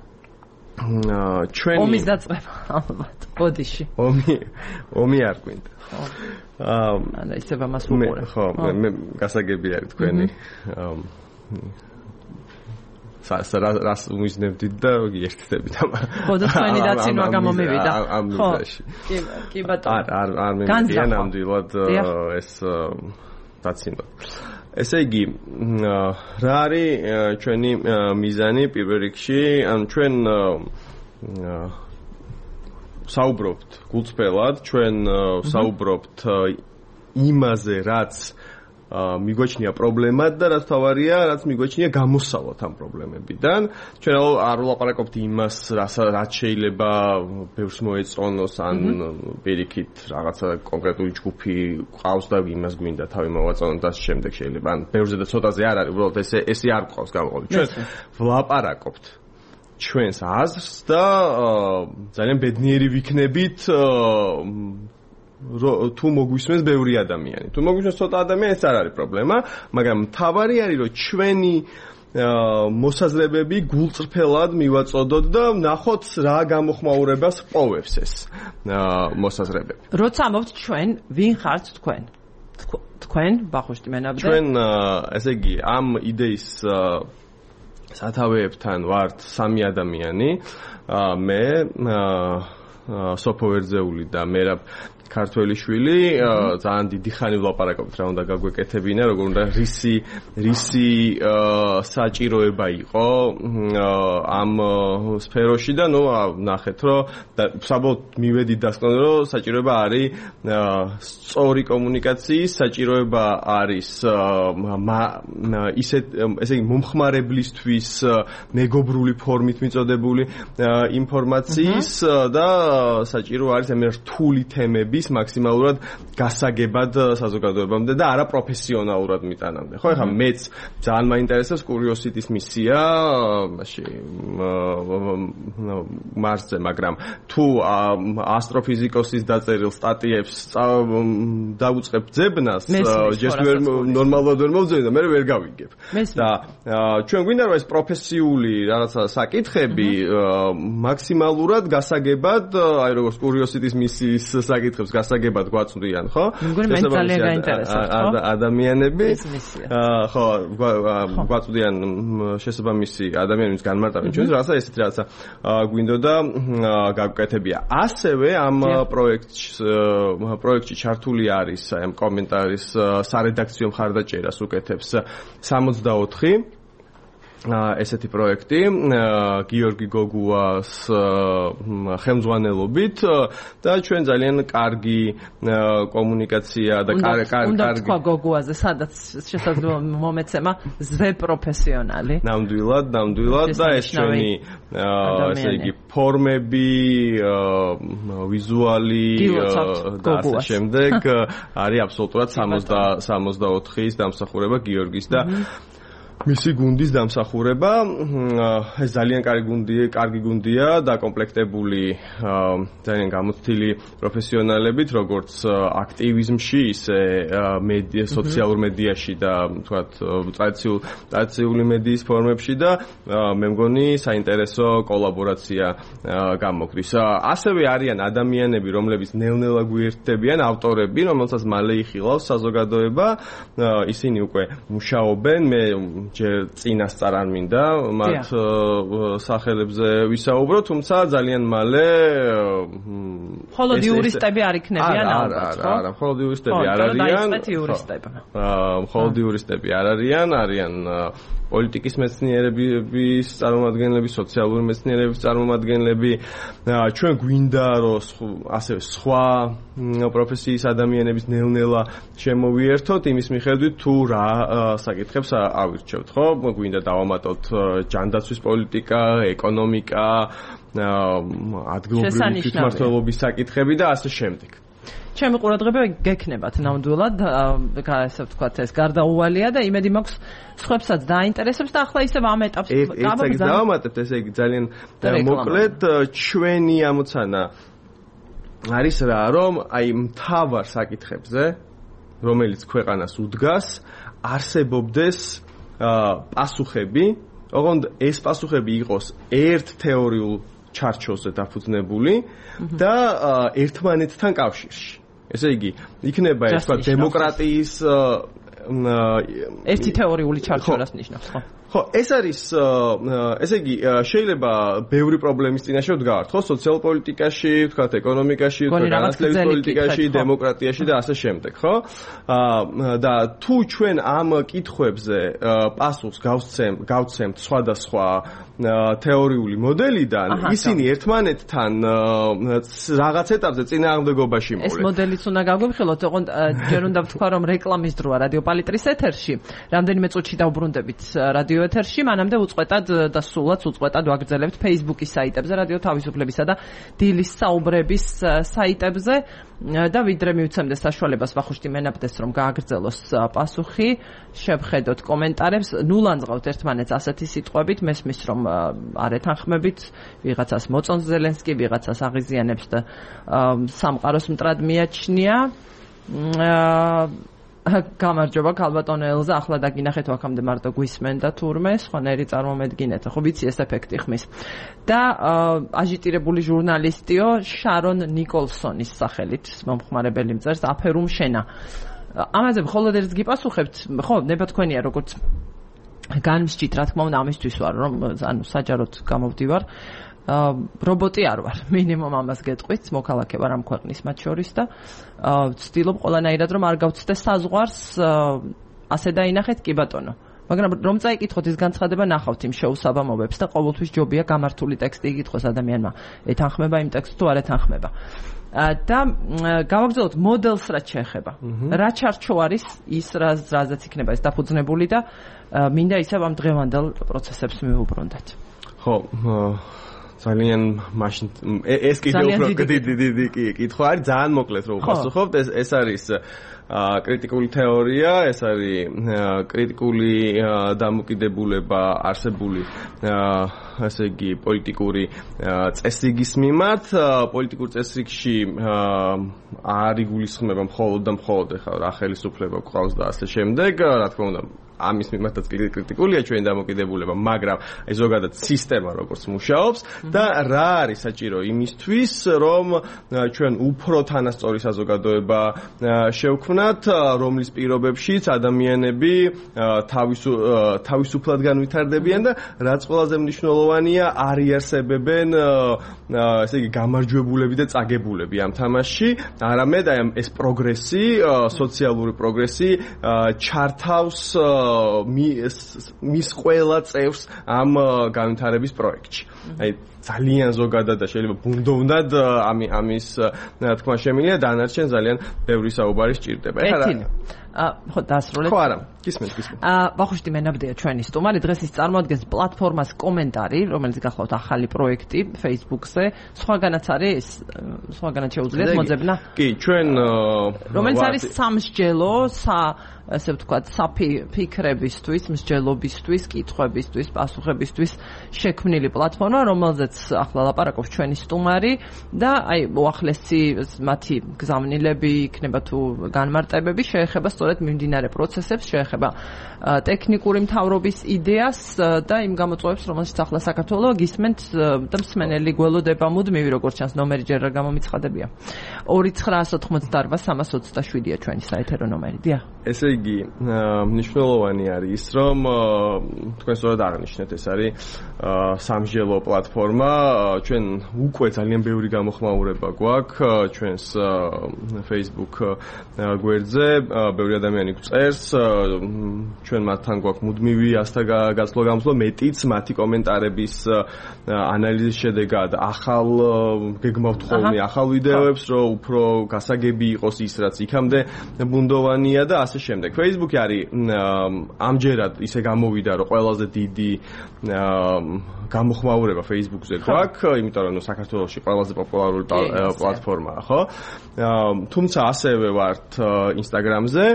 ჩვენი ომის დაწყება ალბათ ბოდიში. ომი ომი არ გვინდა. აა ანუ ისევ ამას ვუყურე. ხო, მე გასაგები არის თქვენი სა რას უმიზნებდით და გიერთდებით ამ. ხო, და თქვენი დაცინვა გამომივიდა. ხო. კი, კი ბატონო. არ არ არ მემდია ნამდვილად ეს დაცინვა. ესე იგი, რა არის ჩვენი მიზანი პირველ რიგში? ანუ ჩვენ საუბრობთ გულწრფელად, ჩვენ საუბრობთ იმაზე, რაც მიგვაჩნია პრობლემად და რაც თავარია, რაც მიგვაჩნია გამოსავალ ამ პრობლემებიდან. ჩვენ არ ვლაპარაკობთ იმას, რაც შეიძლება ბევრს მოეწონოს, ან პირიქით რაღაცა კონკრეტული ჯგუფი ყავს და იმას გვინდა თავი მოვაწონოთ და შემდეგ შეიძლება. ან ბევრზე და ცოტაზე არ არის, უბრალოდ ესე ესე არ ყავს გამოყოფილი. ჩვენ ვლაპარაკობთ ჩვენს აზრს და ძალიან ბედნიერი ვიქნებით თუ მოგვისმენს ბევრი ადამიანი. თუ მოგვისმენს ცოტა ადამიანი, ეს არ არის პრობლემა, მაგრამ თავარი არის, რომ ჩვენი მოსაზრებები გულწრფელად მივაწოდოთ და ნახოთ რა გამოხმაურებას ყოფს ეს მოსაზრებები. როცა ამბობთ ჩვენ, ვინ ხართ თქვენ? თქვენ, ბახუშტი მენაბდე? ჩვენ, ესე იგი, ამ იდეის სათავეებთან ვართ სამი ადამიანი, მე, სოფო ვერძეული და მერაბ ქართველიშვილი, ძალიან დიდი ხანი ვლაპარაკობთ რა უნდა გაგვეკეთებინა, როგორ უნდა რისი რისი საჭიროება იყო ამ სფეროში და ნუ ნახეთ რომ საბოლოოდ მივედით დასკვნამდე რომ საჭიროება არის სწორი კომუნიკაციის, საჭიროება არის ისეთ ესე იგი მომხმარებლისთვის მეგობრული ფორმით მიწოდებული ინფორმაციის და საჭირო არის ამ რთული თემების მაქსიმალურად გასაგებად საზოგადოებამდე და არა პროფესიონალურად მიტანამდე. ხო, ეხლა მეც ძალიან მაინტერესებს კურიოსიტის მისია, მაშინ მარსზე, მაგრამ თუ ასტროფიზიკოსის დაწერილ სტატიებს დავუწყებ ძებნას, ჯერ ვერ ნორმალურად ვერ მოვძებნი და მე ვერ გავიგებ. და ჩვენ გვინდა რომ ეს პროფესიული რაღაცა საკითხები მაქსიმალურად გასაგებად, აი როგორც კურიოსიტის მისიის საკითხებს გასაგებად გვაწვდიან, ხო? მეგონი მე ძალიან გაინტერესებს, ხო? ადამიანები, ხო, გვაწვდიან შესაბამისი ადამიანების განმარტავენ ჩვენს რაღაცა ესეთი რაღაცა გვინდოდა გაგვკეთებია. ასევე ამ პროექტში პროექტში ჩართული არის აი ამ კომენტარის სარედაქციო მხარდაჭერას უკეთებს სამოცდაოთხი ესეთი პროექტი გიორგი გოგუას ხელმძღვანელობით და ჩვენ ძალიან კარგი კომუნიკაცია და კარგი უნდა თქვა გოგუაზე, სადაც შესაძლოა მომეცემა ზე პროფესიონალი. ნამდვილად, ნამდვილად და ეს ჩვენი ესე იგი ფორმები, ვიზუალი და ასე შემდეგ არის აბსოლუტურად სამოცდაოთხის დამსახურება გიორგის და მისი გუნდის დამსახურება. ეს ძალიან კარგი გუნდია, კარგი გუნდია დაკომპლექტებული ძალიან გამოცდილი პროფესიონალებით, როგორც აქტივიზმში, ისე მედია, სოციალურ მედიაში და თქვათ ტრადიციულ ტრადიციული მედიის ფორმებში და მე მგონი საინტერესო კოლაბორაცია გამოგვდის. ასევე არიან ადამიანები, რომლებიც ნელ-ნელა გვიერთდებიან, ავტორები, რომელსაც მალე იხილავს საზოგადოება, ისინი უკვე მუშაობენ, მე ჯერ წინასწარ არ მინდა მათ სახელებზე ვისაუბრო, თუმცა ძალიან მალე მხოლოდ იურისტები არ იქნებიან ალბათ, ხო? არა, არა, მხოლოდ იურისტები არ არიან. მხოლოდ იურისტები არ არიან, არიან პოლიტიკის მეცნიერების წარმომადგენლები, სოციალური მეცნიერების წარმომადგენლები. ჩვენ გვინდა რომ ასევე სხვა პროფესიის ადამიანების ნელ-ნელა შემოვიერთოთ იმის მიხედვით თუ რა საკითხებს ავირჩევთ, ხო? გვინდა დავამატოთ ჯანდაცვის პოლიტიკა, ეკონომიკა, ადგილობრივი თვითმმართველობის საკითხები და ასე შემდეგ. ჩემი ყურადღება გექნებათ ნამდვილად, ასე ვთქვათ, ეს გარდაუვალია და იმედი მაქვს სხვებსაც დაინტერესებს და ახლა ისევ ამ ეტაპს გავაგზავნებთ. დავამატებთ, ესე იგი ძალიან მოკლედ ჩვენი ამოცანა არის რა, რომ აი მთავარ საკითხებზე, რომელიც ქვეყანას უდგას, არსებობდეს პასუხები, ოღონდ ეს პასუხები იყოს ერთ თეორიულ ჩარჩოზე დაფუძნებული და ერთმანეთთან კავშირში. ესე იგი, იქნება ეს თქვა დემოკრატიის ერთი თეორიული ჩარჩო-რას ნიშნავს, ხო? ხო, ეს არის, ესე იგი, შეიძლება ბევრი პრობლემის წინაშე ვდგავართ, ხო, სოციალურ პოლიტიკაში, ვთქვათ, ეკონომიკაში, ვთქვათ, განათლების პოლიტიკაში, დემოკრატიაში და ასე შემდეგ, ხო? და თუ ჩვენ ამ კითხვებზე პასუხს გავცემთ სხვადასხვა თეორიული მოდელიდან, ისინი ერთმანეთთან რაღაც ეტაპზე წინააღმდეგობაში მოვლენ. ეს მოდელიც უნდა გაგვიხილოთ, ოღონდ ჯერ უნდა ვთქვა, რომ რეკლამის დროა რადიო პალიტრის ეთერში, რამდენიმე წუთში დავბრუნდებით რადიო ეთერში, მანამდე უწყვეტად და სულაც უწყვეტად ვაგრძელებთ Facebook-ის საიტებზე, რადიო თავისუფლებისა და დილის საუბრების საიტებზე და ვიდრე მივცემდეს საშუალებას ვახუშტი მენაბდეს, რომ გააგრძელოს პასუხი, შევხედოთ კომენტარებს, ნულანძღავთ ერთმანეთს ასეთი სიტყვებით, მესმის რომ არ ეთანხმებით, ვიღაცას მოწონს ზელენსკი, ვიღაცას აღიზიანებს და სამყაროს მტრად მიაჩნია. გამარჯობა ქალბატონო ელზა, ახლა დაგინახეთ აქამდე მარტო გვისმენდა თურმე, სხვანაირი წარმომედგინეთ, ხო ვიცი ეს ეფექტი ხმის. და აჟიტირებული ჟურნალისტიო შარონ ნიკოლსონის სახელით მომხმარებელი მწერს აფერუმ შენა. ამაზე მხოლოდ ერთს გიპასუხებთ, ხო, ნება თქვენია როგორც განმსჭით, რა თქმა უნდა, ამისთვის ვარ, რომ ანუ საჯაროდ გამოვდივარ. რობოტი არ ვარ, მინიმუმ ამას გეტყვით, მოქალაქე ვარ ამ ქვეყნის მათ შორის და ვცდილობ ყველანაირად რომ არ გავცდეს საზღვარს, ასე დაინახეთ კი ბატონო. მაგრამ რომ წაიკითხოთ ის განცხადება ნახავთ იმ შეუსაბამობებს და ყოველთვის ჯობია გამართული ტექსტი იკითხოს ადამიანმა, ეთანხმება იმ ტექსტს თუ არ ეთანხმება. და გავაგრძელოთ მოდელს რაც შეეხება. რა ჩარჩო არის ის რაზეც იქნება ეს დაფუძნებული და მინდა ისევ ამ დღევანდელ პროცესებს მივუბრუნდეთ. ხო, ძალიან მაშინ ეს კიდე უფრო დიდი დიდი კითხვა არის ძალიან მოკლედ რომ ვპასუხობთ ეს ეს არის კრიტიკული თეორია ეს არის კრიტიკული დამოკიდებულება არსებული ასე იგი პოლიტიკური წესრიგის მიმართ პოლიტიკურ წესრიგში არ იგულისხმება მხოლოდ და მხოლოდ ახლა რა ხელისუფლება გვყავს და ასე შემდეგ რა თქმა უნდა ამის მიმართაც კრიტიკულია ჩვენი დამოკიდებულება, მაგრამ აი ზოგადად სისტემა როგორც მუშაობს და რა არის საჭირო იმისთვის, რომ ჩვენ უფრო თანასწორი საზოგადოება შევქმნათ, რომლის პირობებშიც ადამიანები თავისუფლად განვითარდებიან და რაც ყველაზე მნიშვნელოვანია, არ იარსებებენ ესე იგი გამარჯვებულები და წაგებულები ამ თამაშში, არამედ აი ეს პროგრესი, სოციალური პროგრესი ჩართავს მის ყველა წევრს ამ განვითარების პროექტში. აი ძალიან ზოგადად და შეიძლება ბუნდოვნად ამის თქმა შემიძლია დანარჩენ ძალიან ბევრი საუბარი სჭირდება. ეხლა ხო დასრულეთ. ხო არა, გისმენთ, გისმენთ. აა ვახუშტი მენაბდია ჩვენი სტუმარი, დღეს ის წარმოადგენს პლატფორმას კომენტარი, რომელიც გახლავთ ახალი პროექტი Facebook-ზე. სხვაგანაც არის, სხვაგანაც შეუძლიათ მოძებნა? კი, ჩვენ რომელიც არის სამსჯელო, სა ასე ვთქვათ, საფიქრებისთვის, მსჯელობისთვის, კითხვებისთვის, პასუხებისთვის შექმნილი პლატფორმა, რომელზეც ახლა ლაპარაკობს ჩვენი სტუმარი და აი უახლესი მათი გზავნილები იქნება თუ განმარტებები შეეხება სწორედ მიმდინარე პროცესებს, შეეხება ტექნიკური მთავრობის იდეას და იმ გამოწვევებს, რომელშიც ახლა საქართველო გისმენთ და მსმენელი გველოდება მუდმივი, როგორც ჩანს, ნომერი ჯერ არ გამომიცხადებია. ორი ცხრაას ოცდაოთხმოცდაარბა სამას ოცდაშვიდია ჩვენი საეთერო ნომერი. დიახ. ესე იგი, მნიშვნელოვანი არის ის, რომ თქვენ სწორად აღნიშნეთ, ეს არის სამსჯელო პლატფორმა. ჩვენ უკვე ძალიან ბევრი გამოხმაურება გვაქვს ჩვენს Facebook გვერდზე, ბევრი ადამიანი გვწერს, ჩვენ მათთან გვაქვს მუდმივი ასთა გაცვლა გამოსვლა, მეტიც მათი კომენტარების ანალიზის შედეგად ახალ გეგმავთ ხოლმე ახალ ვიდეოებს, რომ უფრო გასაგები იყოს ის, რაც იქამდე ბუნდოვანია და ასე შემდეგ. Facebook-ი არის ამჯერად ისე გამოვიდა, რომ ყველაზე დიდი გამოხმაურება Facebook-ზე გვაქვს, იმიტომ რომ საქართველოში ყველაზე პოპულარული პლატფორმაა, ხო? თუმცა ასევე ვართ Instagram-ზე,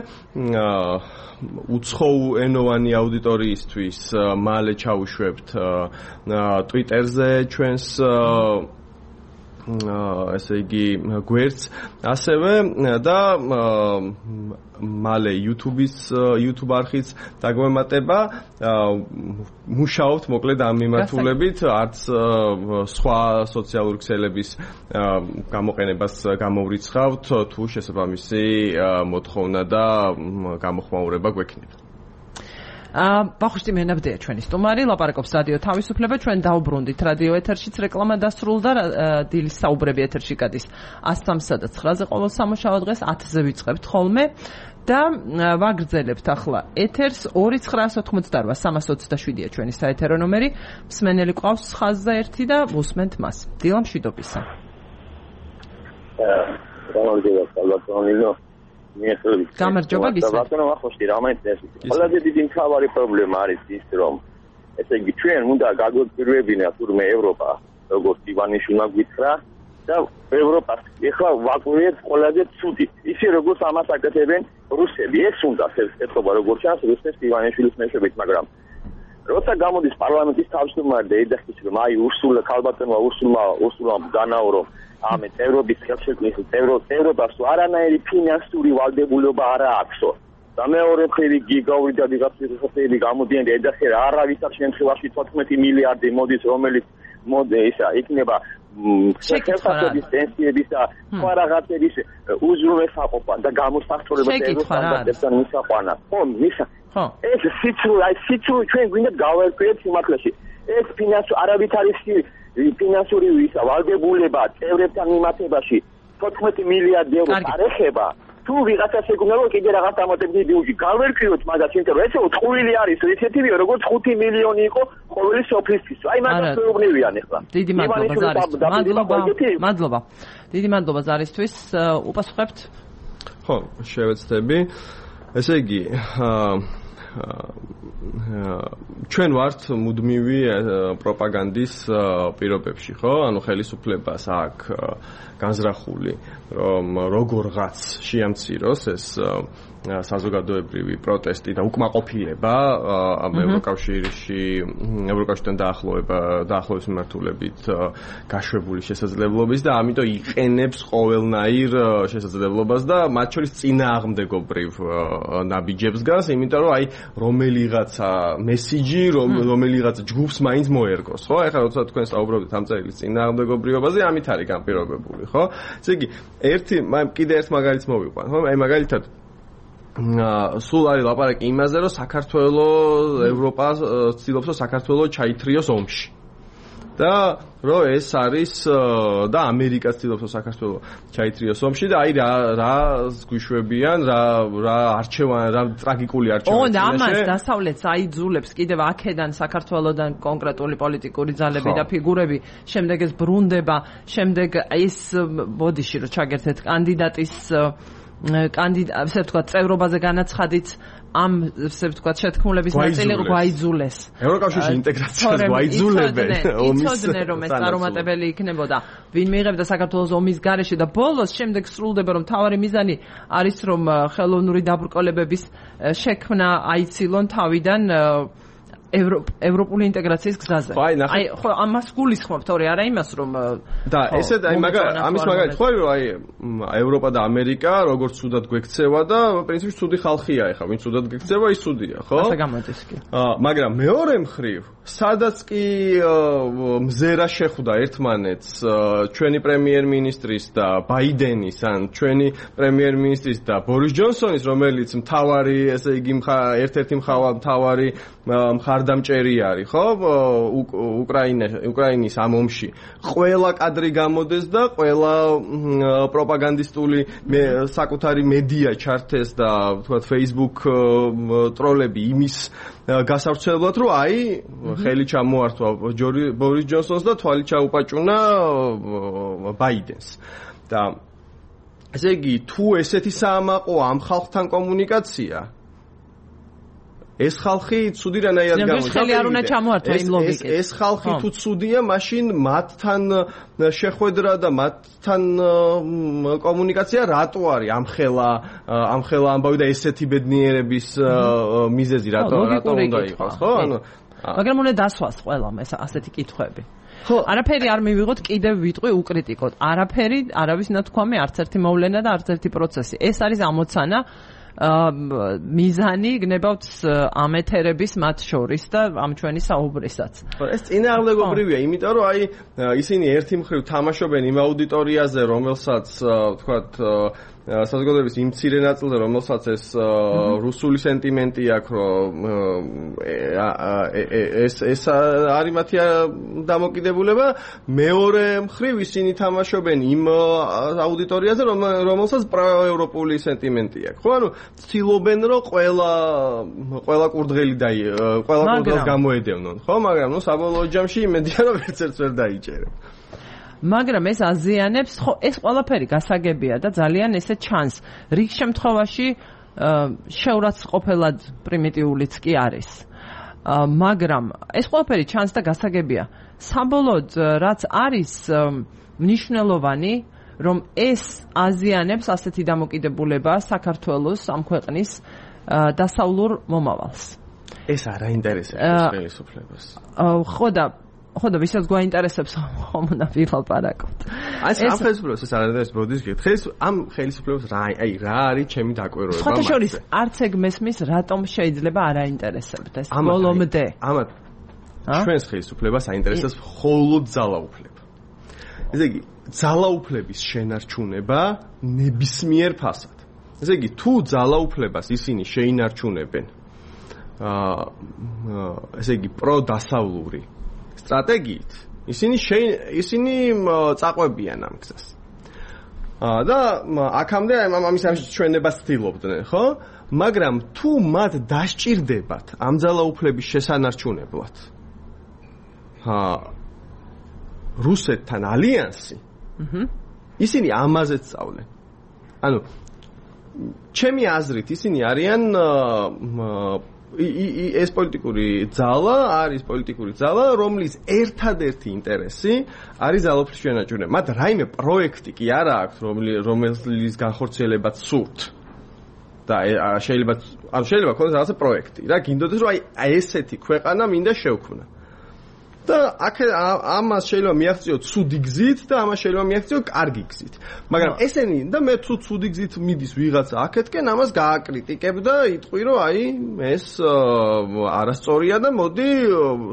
უცხოენოვანი აუდიტორიისთვის მალე ჩავუშვებთ Twitter-ზე ჩვენს ესე იგი გვერდს ასევე და მალე YouTube-ის YouTube არხიც დაგვემატება მუშაობთ მოკლედ ამ მიმართულებით არც სხვა სოციალური ქსელების გამოყენებას გამოვრიცხავთ თუ შესაბამისი მოთხოვნა და გამოხმაურება გვექნება. ვახუშტი მენაბდია ჩვენი სტუმარი, ლაპარაკობს რადიო თავისუფლება, ჩვენ დაუბრუნდით რადიო ეთერშიც რეკლამა დასრულდა, დილის საუბრები ეთერში გადის ას სამსა და ცხრაზე ყოველ სამუშაო დღეს ათზე ვიწყებთ ხოლმე და ვაგრძელებთ ახლა ეთერს ორი ცხრაას ოცდაოთხმოცდაარბა სამას ოცდაშვიდია ჩვენი საეთერო ნომერი, მსმენელი ყავს ხაზზე ერთი და უსმენთ მას. დილა მშვიდობისა. გამარჯობა, სალვატონინო. გამარჯობა გისმენთ. ბატონო ვახუშტი, რამაინტერესებს. ყველაზე დიდი მთავარი პრობლემა არის ის, რომ ესე იგი ჩვენ უნდა გაგვეპირვებინა თურმე ევროპა, როგორც ივანიშვილმა გითხრა და ევროპას ეხლა ვაკვირდეთ ყველაზე ცუდი. ისე როგორც ამას აკეთებენ რუსები. ეს უნდა ეთქობა როგორც ჩანს რუსეთის ივანიშვილის მეშვეობით, მაგრამ როცა გამოდის პარლამენტის თავმჯდომარე და ეძახის რომ აი ურსულა ქალბატონმა ურსულმა ურსულამ განაურო ამ ევროპის ხელშეკრულების ევროპას არანაირი ფინანსური ვალდებულება არ აქვსო. და მეორე მხრივ გიგაური და ვიღაცის ხელები გამოდიან და ეძახიან არავითარ შემთხვევაში თოთხმეტი მილიარდი მოდის, რომელიც მოდი ისა იქნება შეკეთების პენსიების და სხვა რაღაცების უზრუნველყოფა და გამოსახულება ევროსტანდარტებთან მისაყვანა. ხო, მისა. ხო. ეს სიცრუე, აი სიცრუე ჩვენ გვინდა გავერკვიეთ სიმართლეში. ეს ფინანსური არავითარი ფინანსური ვისა ვალდებულება წევრებთან მიმართებაში თოთხმეტი მილიარდი ევრო არ ეხება. თუ ვიღაცას ეგუნა რომ კიდე რაღაც ამოტებდი ბიუჯეტი გავერკვიოთ მაგას, იმიტომ რომ ესე უთხული არის ისეთივე როგორც ხუთი მილიონი იყო ყოველი სოფლისთვის. აი მაგას მეუბნევიან ახლა. დიდი მადლობა ზარისთვის. მადლობა. მადლობა. დიდი მადლობა ზარისთვის. უპასუხებთ? ხო, შევეცდები. ესე იგი, ჩვენ ვართ მუდმივი პროპაგანდის პირობებში, ხო? ანუ ხელისუფლებას აქვს განზრახული, რომ როგორღაც შეამციროს ეს საზოგადოებრივი პროტესტი და უკმაყოფილება ამ ევროკავშირში, ევროკავშირთან დაახლოება, დაახლოების მიმართულებით გაშვებული შესაძლებლობის და ამიტომ იყენებს ყოველნაირ შესაძლებლობას და მათ შორის წინააღმდეგობრივ ნაბიჯებს გას, იმიტომ რომ აი რომელიღაცა მესიჯი, რომელიღაცა ჯგუფს მაინც მოერგოს, ხო? ეხლა როცა თქვენ საუბრობთ ამ წერილის წინააღმდეგობრიობაზე, ამით არის განპირობებული, ხო? ესე იგი, ერთი კიდე ერთ მაგალითს მოვიყვან, ხო? აი მაგალითად სულ არის ლაპარაკი იმაზე, რომ საქართველოს ევროპა ცდილობს, რომ საქართველოს ჩაითრიოს ომში. და რომ ეს არის და ამერიკაც ცდილობს, რომ საქართველოს ჩაითრიოს ომში და აი რა რა გვიშვებიან, რა რა არჩევანი, რა ტრაგიკული არჩევანი. ო, და ამას დასავლეთს აიძულებს კიდევ აქედან საქართველოსდან კონკრეტული პოლიტიკური ძალები და ფიგურები, შემდეგ ეს ბრუნდება, შემდეგ ეს ბოდიში რო ჩაგერთეთ კანდიდატის კანდიდატ, ასე ვთქვათ, წევრობაზე განაცხადით ამ, ასე ვთქვათ, შეთქმულების ნაწილი გვაიძულეს. ევროკავშირში ინტეგრაციას გვაიძულებენ. იცოდნენ, რომ ეს წარუმატებელი იქნებოდა. ვინ მიიღებდა საქართველოს ომის გარეშე და ბოლოს შემდეგ სრულდება, რომ მთავარი მიზანი არის, რომ ხელოვნური დაბრკოლებების შექმნა აიცილონ თავიდან ევროპული ინტეგრაციის გზაზე. აი, ხო, ამას გულისხმობ, თორე არა იმას, რომ და ესეთ აი მაგალითად ამის მაგალითად ხო რომ აი ევროპა და ამერიკა როგორც ცუდად გვექცევა და პრინციპში ცუდი ხალხია ეხლა, ვინ ცუდად გექცევა, ის ცუდია, ხო? ასე გამოდის კი. აა, მაგრამ მეორე მხრივ, სადაც კი მზერა შეხვდა ერთმანეთს ჩვენი პრემიერ-მინისტრის და ბაიდენის ან ჩვენი პრემიერ-მინისტრის და ბორის ჯონსონის, რომელიც მთავარი, ესე იგი, ერთ-ერთი მთავარი მხარდამჭერი არის, ხო? უკრაინა უკრაინის ამ ომში. ყველა კადრი გამოდეს და ყველა პროპაგანდისტული საკუთარი მედია ჩართეს და თქვათ Facebook ტროლები იმის გასავრცელებლად, რომ აი ხელი ჩამოართვა ბორის ჯონსონს და თვალი ჩაუპაჭუნა ბაიდენს. და ესე იგი, თუ ესეთი საამაყო ამ ხალხთან კომუნიკაცია, ეს ხალხი ცუდი რანაირად გამოდის. ხელი არ უნდა ჩამოართვა იმ ლოგიკით. ეს ხალხი თუ ცუდია, მაშინ მათთან შეხვედრა და მათთან კომუნიკაცია რატო არის ამხელა ამხელა ამბავი და ესეთი ბედნიერების მიზეზი რატო რატო უნდა იყოს, ხო? ანუ მაგრამ უნდა დასვას ყველამ ეს ასეთი კითხვები. ხო, არაფერი არ მივიღოთ, კიდევ ვიტყვი უკრიტიკოთ. არაფერი, არავის ნათქვამი, არც ერთი მოვლენა და არც ერთი პროცესი. ეს არის ამოცანა მიზანი გნებავთ ამ ეთერების მათ შორის და ამ ჩვენი საუბრისაც. ეს წინააღმდეგობრივია, იმიტომ რომ აი ისინი ერთი მხრივ თამაშობენ იმ აუდიტორიაზე, რომელსაც ვთქვათ საზოგადოების იმ მცირე ნაწილზე, რომელსაც ეს რუსული სენტიმენტი აქვს, რომ ეს ეს არის მათი დამოკიდებულება, მეორე მხრივ ისინი თამაშობენ იმ აუდიტორიაზე, რომელსაც პროევროპული სენტიმენტი აქვს. ხო, ანუ ცდილობენ, რომ ყველა ყველა კურდღელი და ყველა კურდღელს გამოედევნონ, ხო, მაგრამ ნუ საბოლოო ჯამში იმედია, რომ ერთ-ერთს ვერ დაიჭერებ. მაგრამ ეს აზიანებს, ხო, ეს ყველაფერი გასაგებია და ძალიან ესე ჩანს. რიგ შემთხვევაში შეურაცხყოფელად პრიმიტიულიც კი არის. მაგრამ ეს ყველაფერი ჩანს და გასაგებია. საბოლოოდ რაც არის მნიშვნელოვანი, რომ ეს აზიანებს ასეთი დამოკიდებულება საქართველოს ამ ქვეყნის დასავლურ მომავალს. ეს არ აინტერესებს ხელისუფლებას. ხო და ხო და ვისაც გვაინტერესებს ხომ უნდა ვილაპარაკოთ. აი ამ ხელისუფლებას ეს არ არის ბოდის გეთ. ხელის ამ ხელისუფლებას რა აი რა არის ჩემი დაკვირვება მაგაზე. სხვა შორის არც ეგ მესმის რატომ შეიძლება არ აინტერესებდეს ბოლომდე. ამათ ჩვენს ხელისუფლებას აინტერესებს მხოლოდ ძალაუფლება. ესე იგი ძალაუფლების შენარჩუნება ნებისმიერ ფასად. ესე იგი თუ ძალაუფლებას ისინი შეინარჩუნებენ აა ესე იგი პროდასავლური სტრატეგიით, ისინი ისინი წაყვებიან ამ გზას. აა და აქამდე ამის ამშვენებას ცდილობდნენ, ხო? მაგრამ თუ მათ დასჭირდებათ ამ ძალაუფლების შესანარჩუნებლად აა რუსეთთან ალიანსი, აჰა, ისინი ამაზე სწავლენ. ანუ ჩემი აზრით ისინი არიან ეს პოლიტიკური ძალა არის პოლიტიკური ძალა, რომლის ერთადერთი ინტერესი არის ძალაუფლის შენარჩუნება. მათ რაიმე პროექტი კი არა აქვს, რომლის განხორციელებაც სურთ. და შეიძლება ანუ შეიძლება ქონდეს რაღაცა პროექტი რა, გინდოდეს რომ აი ესეთი ქვეყანა მინდა შევქმნა. და აქ ამას შეიძლება მიაღწიოთ ცუდი გზით და ამას შეიძლება მიაღწიოთ კარგი გზით. მაგრამ ესენი და მე თუ ცუდი გზით მიდის ვიღაცა აქეთკენ ამას გააკრიტიკებ და იტყვი რომ აი ეს არასწორია და მოდი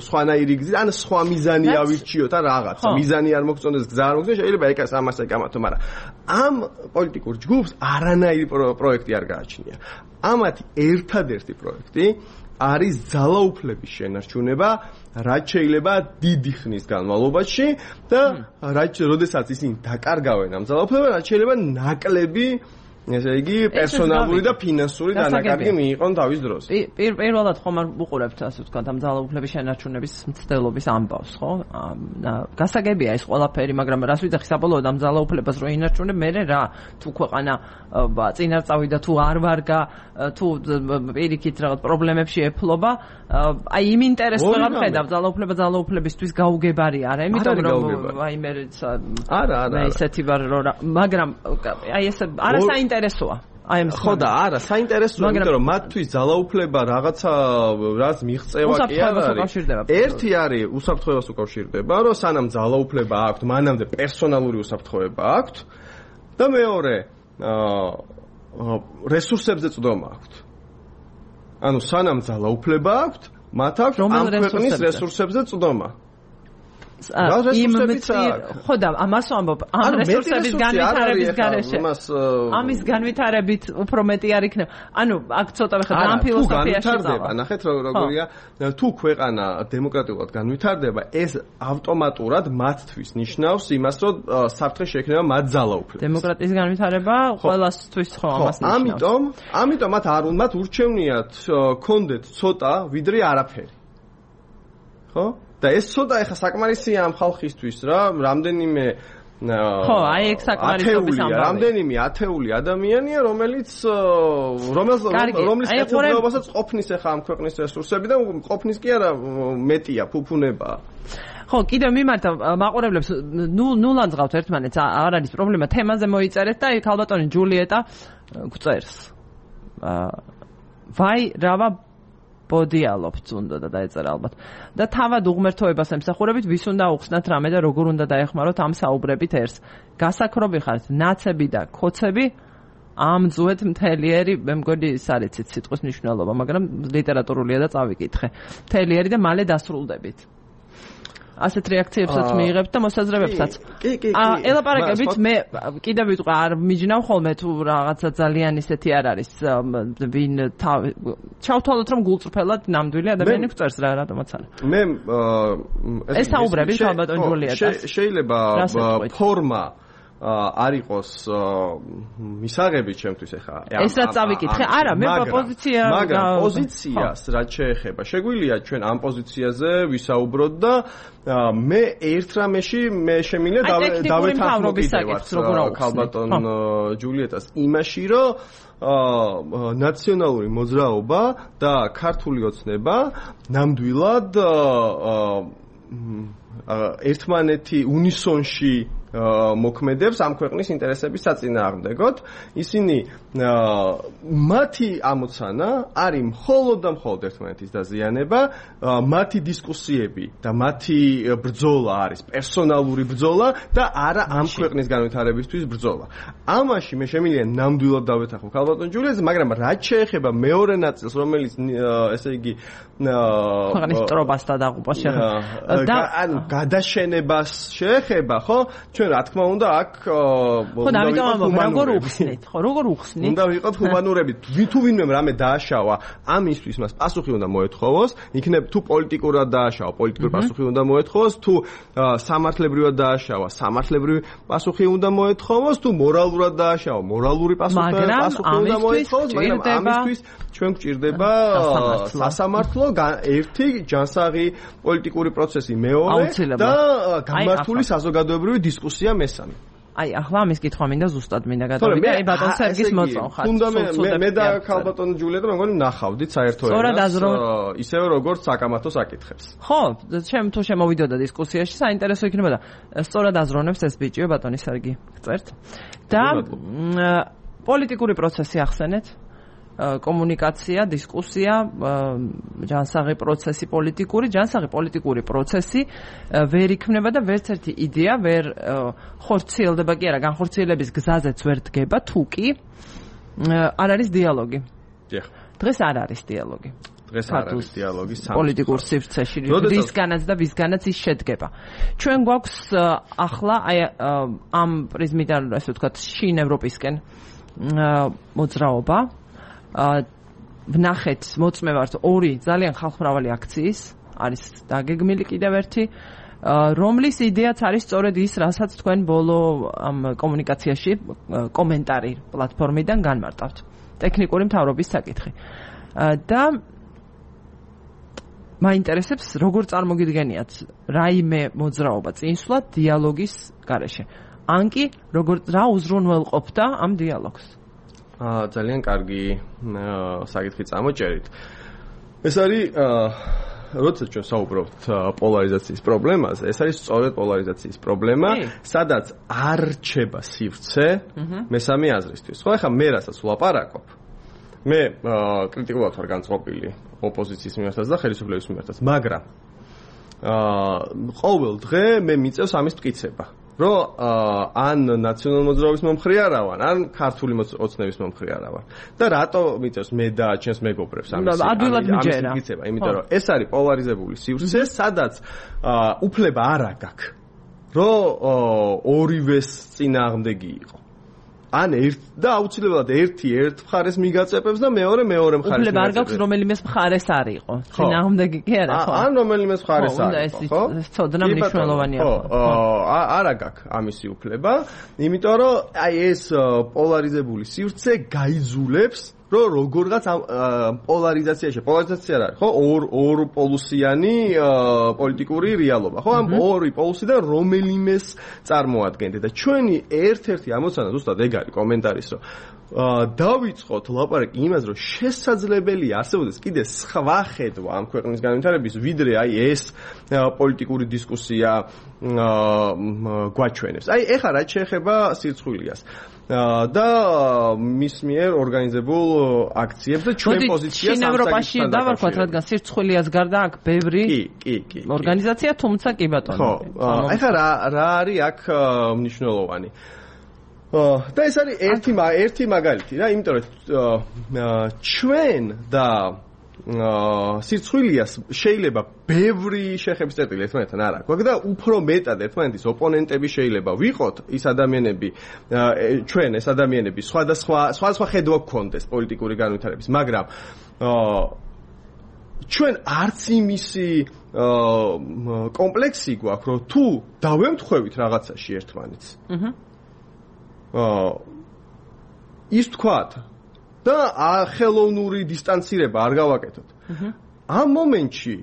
სხვანაირი გზით ან სხვა მიზანი ავირჩიოთ ან რაღაცა. მიზანი არ მოგწონდეს, გზა არ მოგწონდეს, შეიძლება ეკას ამას ეკამათო, მაგრამ ამ პოლიტიკურ ჯგუფს არანაირი პროექტი არ გააჩნია. ამათი ერთადერთი პროექტი არის ძალაუფლების შენარჩუნება, რაც შეიძლება დიდი ხნის განმავლობაში და რაც როდესაც ისინი დაკარგავენ ამ ძალაუფლებას, რაც შეიძლება ნაკლები, ესე იგი, პერსონალური და ფინანსური დანაკარგი მიიღონ თავის დროს. პირველად ხომ არ უყურებთ, ასე ვთქვათ, ამ ძალაუფლების შენარჩუნების მცდელობის ამბავს, ხო? გასაგებია ეს ყველაფერი, მაგრამ რას ვიძახი საბოლოოდ ამ ძალაუფლებას რო ინარჩუნებ, მე რა თუ ქვეყანა წინარ წავიდა, თუ არ ვარგა, თუ პირიქით რაღაც პრობლემებში ეფლობა, აი იმ ინტერესს ვეღარ ხედავ, ძალაუფლება ძალაუფლებისთვის გაუგებარი არა, იმიტომ რომ აი მე არა, არა. მე ისეთი ვარ რომ მაგრამ აი ეს არა საინტერესოა. აი ამ ხო და არა, საინტერესოა, იმიტომ რომ მათთვის ძალაუფლება რაღაცა რაც მიღწევა კი არ არის. ერთი არის უსაფრთხოებას უკავშირდება, რომ სანამ ძალაუფლება აქვთ, მანამდე პერსონალური უსაფრთხოება აქვთ და მეორე რესურსებზე წვდომა აქვთ. ანუ სანამ ძალაუფლება აქვთ, მათ აქვს ამ ქვეყნის რესურსებზე წვდომა. იმ ხო და ამას ვამბობ, ამ რესურსების განვითარების გარეშე ამის განვითარებით უფრო მეტი არ იქნება. ანუ აქ ცოტა ვიხარ ამ ფილოსოფიაში წავა. ნახეთ როგორია, თუ ქვეყანა დემოკრატიულად განვითარდება, ეს ავტომატურად მათთვის ნიშნავს იმას, რომ საფრთხე შეექმნება მათ ძალაუფლებას. დემოკრატიის განვითარება ყველასთვის ხო ამას ნიშნავს. ამიტომ, ამიტომ მათ არ უნდათ ურჩევნიათ კონდეთ ცოტა ვიდრე არაფერი. ხო? და ეს ცოტა ეხა საკმარისია ამ ხალხისთვის რა, რამდენიმე ხო, აი ეგ საკმარისობის ამბავი. რამდენიმე ათეული ადამიანია, რომელიც რომელს რომლის კეთილდღეობასაც ყოფნის ეხა ამ ქვეყნის რესურსები და ყოფნის კი არა მეტია, ფუფუნებაა. ხო, კიდევ მიმართა მაყურებლებს ნულან ზღავთ ერთმანეთს, არ არის პრობლემა, თემაზე მოიწერეთ და აი ქალბატონი ჯულიეტა გვწერს. ვაი, რავა ბოდიალობთ უნდა და დაეწერა ალბათ. და თავად უღმერთოებას ემსახურებით, ვის უნდა უხსნათ რამე და როგორ უნდა დაეხმაროთ ამ საუბრებით ერს. გასაქრობი ხართ, ნაცები და კოცები, ამ ძუეთ მთელიერი, მე მგონი ის არ იცით სიტყვის მნიშვნელობა, მაგრამ ლიტერატურულია და წავიკითხე. მთელიერი და მალე დასრულდებით. ასეთ რეაქციებსაც მიიღებთ და მოსაზრებებსაც. კი, კი, კი. ელაპარაკებით, მე კიდევ ვიტყვი, არ მიჯნავ ხოლმე თუ რაღაცა ძალიან ისეთი არ არის, ვინ ჩავთვალოთ რომ გულწრფელად ნამდვილი ადამიანი გვწერს რა, რატომაც არა. მე ეს საუბრები ქალბატონ ჯულიეტას. შეიძლება ფორმა არ იყოს მისაღები ჩემთვის ახლა. ეს რაც წავიკითხე, არა, მე პოზიცია მაგრამ პოზიციას რაც შეეხება, შეგვიძლია ჩვენ ამ პოზიციაზე ვისაუბროთ და მე ერთ რამეში მე შემიძლია დავეთანხმო კიდევ ქალბატონ ჯულიეტას იმაში, რომ ნაციონალური მოძრაობა და ქართული ოცნება ნამდვილად ერთმანეთი უნისონში მოქმედებს ამ ქვეყნის ინტერესების საწინააღმდეგოდ. ისინი მათი ამოცანა არის მხოლოდ და მხოლოდ ერთმანეთის დაზიანება, მათი დისკუსიები და მათი ბრძოლა არის პერსონალური ბრძოლა და არა ამ ქვეყნის განვითარებისთვის ბრძოლა. ამაში მე შემიძლია ნამდვილად დავეთანხმო ქალბატონ ჯულიეტას, მაგრამ რაც შეეხება მეორე ნაწილს, რომელიც ესე იგი ქვეყნის მტრობას და დაღუპვას შეეხება და ანუ გადაშენებას შეეხება, ხო? ჩვენ რა თქმა უნდა აქ ხო და ამიტომ ამბობ, როგორ უხსნით, ხო, როგორ უხსნით? უნდა ვიყოთ ჰუმანურები. თუ ვინმე რამე დააშავა, ამისთვის მას პასუხი უნდა მოეთხოვოს, იქნებ თუ პოლიტიკურად დააშავა, პოლიტიკური პასუხი უნდა მოეთხოვოს, თუ სამართლებრივად დააშავა, სამართლებრივი პასუხი უნდა მოეთხოვოს, თუ მორალურად დააშავა, მორალური პასუხი უნდა მოეთხოვოს, მაგრამ ამისთვის ჩვენ გვჭირდება სასამართლო ერთი ჯანსაღი პოლიტიკური პროცესი მეორე და გამართული საზოგადოებრივი დისკუსია მესამე. აი ახლა ამის კითხვა მინდა ზუსტად მინდა გადავიდე აი ბატონ სერგის მოწონხარ. თუნდა მე მე და ქალბატონ ჯულია და მეგონი ნახავდით საერთოებას ისევე როგორც საკამათო საკითხებს. ხო, ჩემ თუ შემოვიდოდა დისკუსიაში საინტერესო იქნება და სწორად აზროვნებს ეს ბიჭიო ბატონი სერგი გწერთ. და პოლიტიკური პროცესი ახსენეთ. კომუნიკაცია, დისკუსია, ჯანსაღი პროცესი პოლიტიკური, ჯანსაღი პოლიტიკური პროცესი ვერ იქმნება და ვერც ერთი იდეა ვერ ხორციელდება კი არა, განხორციელების გზაზეც ვერ დგება, თუ კი არ არის დიალოგი. დღეს არ არის დიალოგი. დღეს არ არის დიალოგი პოლიტიკურ სივრცეში, ვისგანაც და ვისგანაც ის შედგება. ჩვენ გვაქვს ახლა აი ამ პრიზმიდან, ასე ვთქვათ, შინ ევროპისკენ მოძრაობა ვნახეთ მოწმე ვართ ორი ძალიან ხალხმრავალი აქციის არის დაგეგმილი კიდევ ერთი რომლის იდეაც არის სწორედ ის რასაც თქვენ ბოლო ამ კომუნიკაციაში კომენტარი პლატფორმიდან განმარტავთ ტექნიკური მთავრობის საკითხი და მაინტერესებს როგორ წარმოგიდგენიათ რაიმე მოძრაობა წინსვლა დიალოგის გარეშე ან კი როგორ რა უზრუნველყოფდა ამ დიალოგს აა ძალიან კარგი საკითხი წამოჭერით. ეს არის როდესაც ჩვენ საუბრობთ პოლარიზაციის პრობლემაზე, ეს არის სწორედ პოლარიზაციის პრობლემა, სადაც არ რჩება სივრცე მესამე აზრისთვის. ხო, ახლა მე რასაც ვლაპარაკობ, მე კრიტიკულად ვარ განწყობილი ოპოზიციის მიმართაც და ხელისუფლების მიმართაც, მაგრამ აა ყოველ დღე მე მიწევს ამის მტკიცება. რომ ან ნაციონალ მოძრაობის მომხრე არა ვარ, ან ქართული ოცნების მომხრე არა ვარ. და რატო მიწევს მე და ჩემს მეგობრებს ამის ამის მტკიცება, იმიტომ რომ ეს არის პოლარიზებული სივრცე, სადაც უფლება არ აქვს, რომ ორივეს წინააღმდეგი იყო. ან ერთ და აუცილებლად ერთი ერთ მხარეს მიგაწეპებს და მეორე მეორე მხარეს მიგაწეპებს. უფლება არ გაქვს რომელიმეს მხარეს არ იყო. წინააღმდეგი კი არა ხო? ან რომელიმეს მხარეს არ იყო, ხო? ეს ცოდნა მნიშვნელოვანია ხო? არა გაქვს ამისი უფლება, იმიტომ რომ აი ეს პოლარიზებული სივრცე გაიძულებს რომ როგორღაც პოლარიზაციაში, პოლარიზაცია რა არის, ხო? ორ ორ პოლუსიანი პოლიტიკური რეალობა, ხო? ამ ორი პოლუსიდან რომელიმეს წარმოადგენთ და ჩვენი ერთ-ერთი ამოცანა ზუსტად ეგ არის კომენტარის, რომ დავიწყოთ ლაპარაკი იმაზე, რომ შესაძლებელია არსებობდეს კიდე სხვა ხედვა ამ ქვეყნის განვითარების, ვიდრე აი ეს პოლიტიკური დისკუსია გვაჩვენებს. აი ეხლა რაც შეეხება სირცხვილიას და მის მიერ ორგანიზებულ აქციებს და ჩვენ პოზიციას ამ ევროპაში დავარქვათ, რადგან სირცხვილიას გარდა აქ ბევრი კი, კი, კი. ორგანიზაცია, თუმცა კი ბატონო. ხო, ეხლა რა რა არის აქ მნიშვნელოვანი? და ეს არის ერთი ერთი მაგალითი რა, იმიტომ რომ ჩვენ და სირცხვილიას შეიძლება ბევრი შეხების წერტილი ერთმანეთთან არ აქვს და უფრო მეტად ერთმანეთის ოპონენტები შეიძლება ვიყოთ ის ადამიანები ჩვენ ეს ადამიანები სხვადასხვა სხვადასხვა ხედვა გქონდეს პოლიტიკური განვითარების, მაგრამ ჩვენ არც იმისი კომპლექსი გვაქვს, რომ თუ დავემთხვევით რაღაცაში ერთმანეთს. აჰა. ის თქვათ და ხელოვნური დისტანცირება არ გავაკეთოთ. ამ მომენტში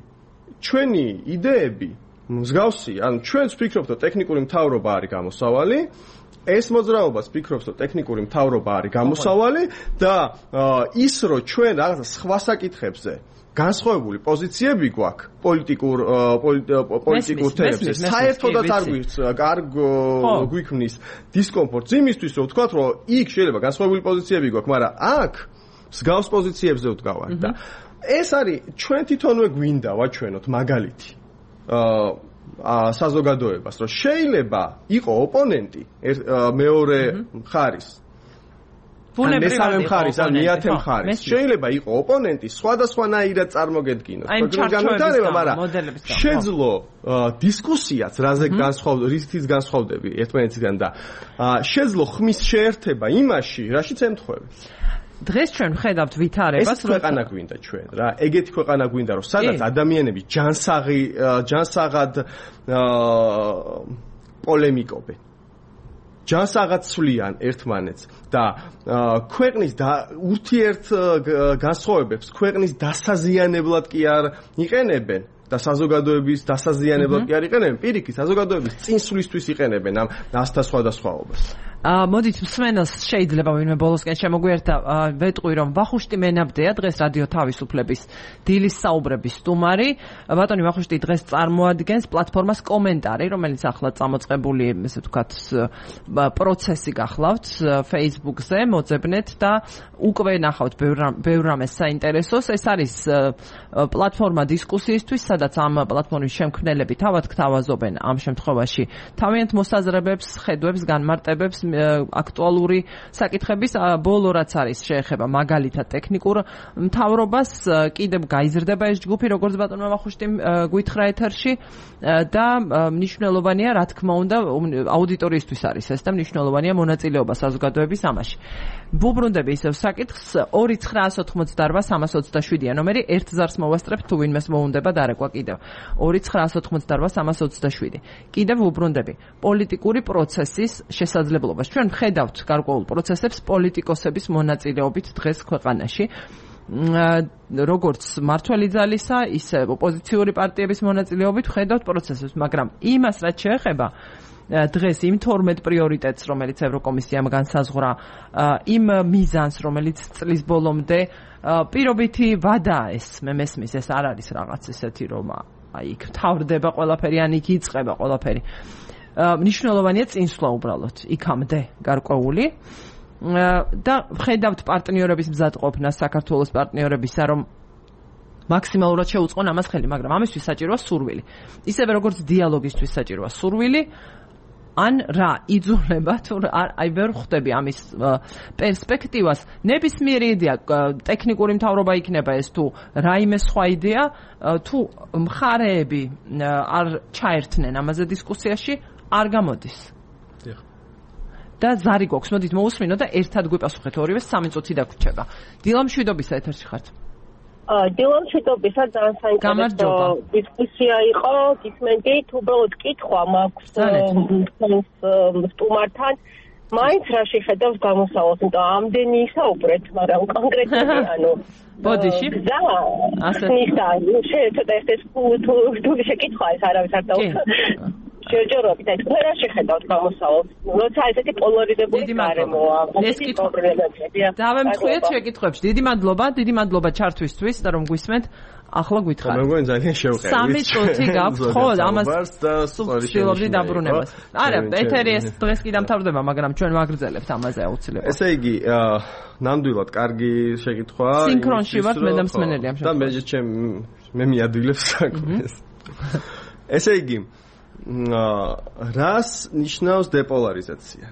ჩვენი იდეები მსგავსი, ანუ ჩვენც ვფიქრობთ, რომ ტექნიკური მთავრობა არის გამოსავალი, ეს მოძრაობას ვფიქრობს, რომ ტექნიკური მთავრობა არის გამოსავალი და ის რომ ჩვენ რაღაცა სხვა საკითხებზე განსხვავებული პოზიციები გვაქვს პოლიტიკურ პოლიტიკურ თემებზე, საერთოდაც არ გვიქმნის დისკომფორტს იმისთვის, რომ ვთქვათ, რომ იქ შეიძლება განსხვავებული პოზიციები გვაქვს, მაგრამ აქ მსგავს პოზიციებზე ვდგავართ და ეს არის ჩვენ თვითონვე გვინდა ვაჩვენოთ მაგალითი აა საზოგადოებას, რომ შეიძლება იყო ოპონენტი მეორე მხარის მესამე მხარის ან მეათე მხარის შეიძლება იყო ოპონენტი სხვადასხვანაირად წარმოგედგინოს განვითარება, მაგრამ შეძლო დისკუსიაც რაზე განსხვავდება, რითიც განსხვავდები ერთმანეთისგან და შეძლო ხმის შეერთება იმაში, რაშიც ემთხვევი. დღეს ჩვენ ვხედავთ ვითარებას, რომ ქვეყანა გვინდა ჩვენ რა, ეგეთი ქვეყანა გვინდა, რომ სადაც ადამიანები ჯანსაღი ჯანსაღად პოლემიკობენ. ჯანსაღად ცვლიან ერთმანეთს და ქვეყნის ურთიერთ განსხვავებებს ქვეყნის დასაზიანებლად კი არ იყენებენ, და საზოგადოების დასაზიანებლად კი არ იყენებენ, პირიქით საზოგადოების წინსვლისთვის იყენებენ ამ ასთა სხვადასხვაობას. აა მოდით მსმენელს შეიძლება ვინმე ბოლოსკენ შემოგვიერთა ვეტყვი რომ ვახუშტი მენაბდეა დღეს რადიო თავისუფლების დილის საუბრების სტუმარი. ბატონი ვახუშტი დღეს წარმოადგენს პლატფორმას კომენტარი, რომელიც ახლა წამოწყებული, ესე ვთქვათ, პროცესი გახლავთ Facebook-ზე, მოძებნეთ და უკვე ნახავთ ბევრ რამეს საინტერესოს. ეს არის პლატფორმა დისკუსიისთვის, სადაც ამ პლატფორმის შემქმნელები თავად გთავაზობენ ამ შემთხვევაში თავიანთ მოსაზრებებს, ხედვებს, განმარტებებს აქტუალური საკითხების ბოლო რაც არის შეეხება მაგალითად ტექნიკურ მთავრობას, კიდევ გაიზრდება ეს ჯგუფი, როგორც ბატონმა ვახუშტიმ გვითხრა ეთერში და მნიშვნელოვანია, რა თქმა უნდა, აუდიტორიისთვის არის ეს და მნიშვნელოვანია მონაწილეობა საზოგადოების ამაში. ვუბრუნდები ისევ საკითხს ორი ცხრაას ოთხმოცდაორვა სამას ოცდაშვიდია ნომერი, ერთ ზარს მოვასწრებთ თუ ვინმეს მოუნდება დარეკვა კიდევ. ორი ცხრაას ოთხმოცდაორვა სამას ოცდაშვიდი. კიდევ ვუბრუნდები პოლიტიკური პროცესის შესაძლებლობა. ჩვენ ვხედავთ გარკვეულ პროცესებს პოლიტიკოსების მონაწილეობით დღეს ქვეყანაში. როგორც მართველი ძალისა, ისე ოპოზიციური პარტიების მონაწილეობით ვხედავთ პროცესებს, მაგრამ იმას რაც შეეხება დღეს იმ თორმეტ პრიორიტეტს, რომელიც ევროკომისიამ განსაზღვრა, იმ მიზანს, რომელიც წლის ბოლომდე პირობითი ვადაა ეს, მე მესმის, ეს არ არის რაღაც ესეთი, რომ აი იქ თავდება ყველაფერი, ან იქ იწყება ყველაფერი. მნიშვნელოვანია წინსვლა უბრალოდ იქამდე გარკვეული და ვხედავთ პარტნიორების მზადყოფნას, საქართველოს პარტნიორებისა, რომ მაქსიმალურად შეუწყონ ამას ხელი, მაგრამ ამისთვის საჭიროა სურვილი. ისევე როგორც დიალოგისთვის საჭიროა სურვილი, ან რა იძულება თუ აი ვერ ხვდები ამის პერსპექტივას. ნებისმიერი იდეა, ტექნიკური მთავრობა იქნება ეს თუ რაიმე სხვა იდეა, თუ მხარეები არ ჩაერთნენ ამაზე დისკუსიაში, არ გამოდის. და ზარი გვაქვს, მოდით მოусმინო და ერთად გვიპასუხეთ ორივე, სამი წუთი დაგვრჩება. დილამ შვიდობისა ეთერში ხართ. დილამ შვიდობისა, ძალიან საინტერესო დისკუსია იყო, გისმენთ, უბრალოდ კითხვა მაქვს სტუმართან, მაინც რა შეხედავს გამოსავალს, იმიტომ ამდენი ისაუბრეთ, მაგრამ კონკრეტულად ანუ ბოდიში და ასე ნიშნა, შეიძლება ეს თუ შეკითხვა ეს არავის არ დაუშვა. შეჯერობით ეს რა შეხედავთ გამოსავალს? როცა ესეთი პოლარიზებული გარემოა, ეს პრობლემებია. დავემთხვიეთ შეკითხვებში. დიდი მადლობა, დიდი მადლობა ჩართვისთვის და რომ გვისმენთ. ახლა გითხარით. მე მგონი ძალიან შევყევით. სამი წუთი გაქვთ, ხო, ამას ვცდილობდი დაბრუნებას. არა, ეთერი ეს დღეს კი დამთავრდება, მაგრამ ჩვენ ვაგრძელებთ ამაზე აუცილებლად. ესე იგი, ნამდვილად კარგი შეკითხვა. სინქრონში ვართ მე და მსმენელი ამ შემთხვევაში. და მე ჩემ მე მიადვილებს საქმეს. ესე იგი, რას ნიშნავს დეპოლარიზაცია?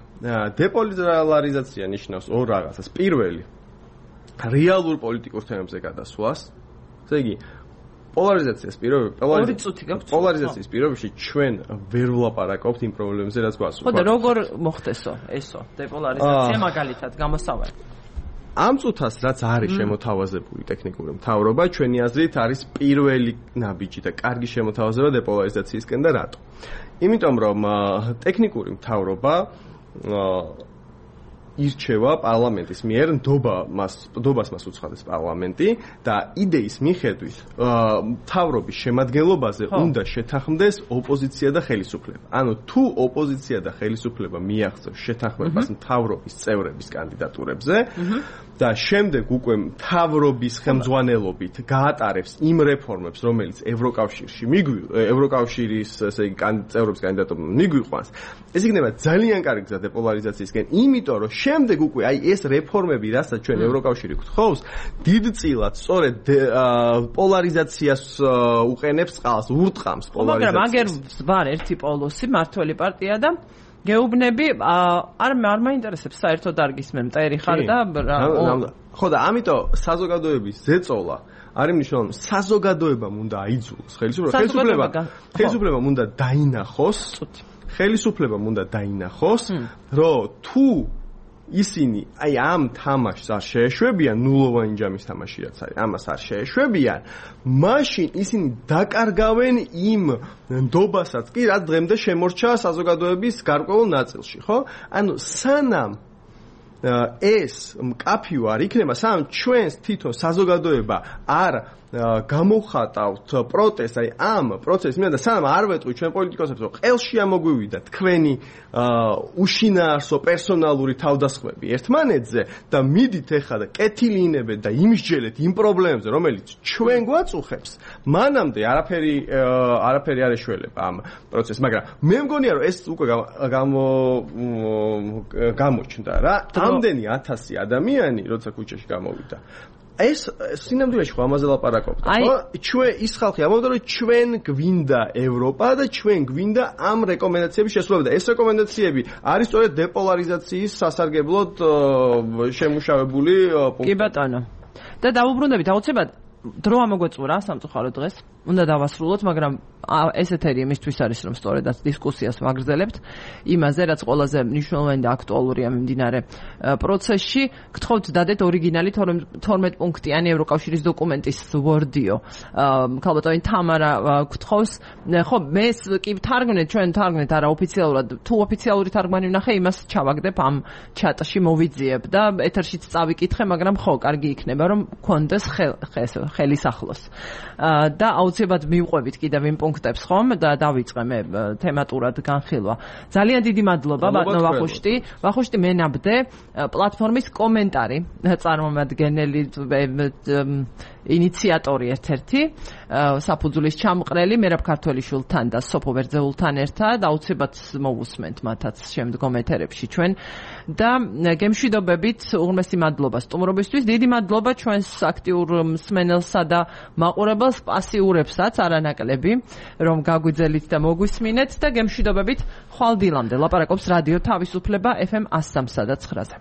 დეპოლარიზაცია ნიშნავს ორ რაღაცას. პირველი, რეალურ პოლიტიკურ თემებზე გადასვლას. ესე იგი, პოლარიზაციას პირობებში, პოლარიზაციის პირობებში ჩვენ ვერ ვლაპარაკობთ იმ პრობლემებზე, რაც გვაქვს. ხო და როგორ მოხდესო ესო დეპოლარიზაცია მაგალითად გამოსავალი? ამ წუთას რაც არის შემოთავაზებული ტექნიკური მთავრობა, ჩვენი აზრით არის პირველი ნაბიჯი და კარგი შემოთავაზება დეპოლარიზაციისკენ და რატო? იმიტომ რომ ტექნიკური მთავრობა ირჩევა პარლამენტის მიერ, ნდობა მას ნდობას მას უცხადეს პარლამენტი და იდეის მიხედვით მთავრობის შემადგენლობაზე უნდა შეთანხმდეს ოპოზიცია და ხელისუფლება. ანუ თუ ოპოზიცია და ხელისუფლება მიაღწევს შეთანხმებას მთავრობის წევრების კანდიდატურებზე და შემდეგ უკვე მთავრობის ხელმძღვანელობით გაატარებს იმ რეფორმებს, რომელიც ევროკავშირში მიგვი ევროკავშირის ესე იგი წევრების კანდიდატურა მიგვიყვანს, ეს იქნება ძალიან კარგი გზა დეპოლარიზაციისკენ, იმიტომ რომ შემდეგ უკვე აი ეს რეფორმები, რასაც ჩვენ ევროკავშირი გთხოვს, დიდწილად სწორედ პოლარიზაციას უყენებს წყალს, ურტყამს პოლარიზაციას. მაგრამ აგერ ვარ ერთი პოლოსი, მართველი პარტია და გეუბნები, არ არ მაინტერესებს საერთოდ არ გისმენ, მტერი ხარ და ხო და ამიტომ საზოგადოების ზეწოლა არის მნიშვნელოვანი. საზოგადოებამ უნდა აიძულოს ხელისუფლება, ხელისუფლებამ უნდა დაინახოს, ხელისუფლებამ უნდა დაინახოს, რომ თუ ისინი აი ამ თამაშს არ შეეშვებიან, ნულოვანი ჯამის თამაში რაც არის, ამას არ შეეშვებიან, მაშინ ისინი დაკარგავენ იმ ნდობასაც კი, რაც დღემდე შემორჩა საზოგადოების გარკვეულ ნაწილში, ხო? ანუ სანამ ეს მკაფიო არ იქნება, სანამ ჩვენს თვითონ საზოგადოება არ გამოვხატავთ პროტესტს, აი ამ პროცესს მინდა სანამ არ ვეტყვი ჩვენ პოლიტიკოსებს, რომ ყელში ამოგვივიდა თქვენი უშინაარსო პერსონალური თავდასხმები ერთმანეთზე და მიდით ეხლა და კეთილინებეთ და იმსჯელეთ იმ პრობლემებზე, რომელიც ჩვენ გვაწუხებს, მანამდე არაფერი არაფერი არ ეშველება ამ პროცესს, მაგრამ მე მგონია რომ ეს უკვე გამო გამოჩნდა რა, ამდენი ათასი ადამიანი როცა ქუჩაში გამოვიდა. ეს სინამდვილეში ხო ამაზე ლაპარაკობთ, ხო? ჩვენ ის ხალხი ამბობდა, რომ ჩვენ გვინდა ევროპა და ჩვენ გვინდა ამ რეკომენდაციების შესრულება და ეს რეკომენდაციები არის სწორედ დეპოლარიზაციის სასარგებლოდ შემუშავებული პუნქტი. კი ბატონო. და დაუბრუნდებით აუცილებლად დრო ამოგვეწურა სამწუხაროდ დღეს. უნდა დავასრულოთ, მაგრამ ეს ეთერი იმისთვის არის, რომ სწორედაც დისკუსიას ვაგრძელებთ იმაზე, რაც ყველაზე მნიშვნელოვანი და აქტუალურია მიმდინარე პროცესში. გთხოვთ დადეთ ორიგინალი თორმეტ პუნქტიანი ევროკავშირის დოკუმენტის ვორდიო. ქალბატონი თამარა გთხოვს, ხო, მე კი თარგმნეთ, ჩვენ თარგმნეთ არაოფიციალურად, თუ ოფიციალური თარგმანი ვნახე, იმას ჩავაგდებ ამ ჩატში მოვიძიებ და ეთერშიც წავიკითხე, მაგრამ ხო, კარგი იქნება, რომ გქონდეს ხელის ახლოს. და აუცილებლად მივყვებით კიდევ იმ პუნქტებს ხომ და დავიწყე მე თემატურად განხილვა. ძალიან დიდი მადლობა ბატონო ვახუშტი. ვახუშტი მენაბდე პლატფორმის კომენტარი წარმომადგენელი ინიციატორი ერთ-ერთი საფუძვლის ჩამყრელი მერაბ ქართველიშვილთან და სოფო ბერძეულთან ერთად აუცილებლად მოვუსმენთ მათაც შემდგომ ეთერებში ჩვენ და გემშვიდობებით უღრმესი მადლობა სტუმრობისთვის. დიდი მადლობა ჩვენს აქტიურ მსმენელსა და მაყურებელს, პასიურებსაც არანაკლები, რომ გაგვიძელით და მოგვისმინეთ და გემშვიდობებით ხვალ დილამდე ლაპარაკობს რადიო თავისუფლება ეფ ემ one oh three და nine-ზე.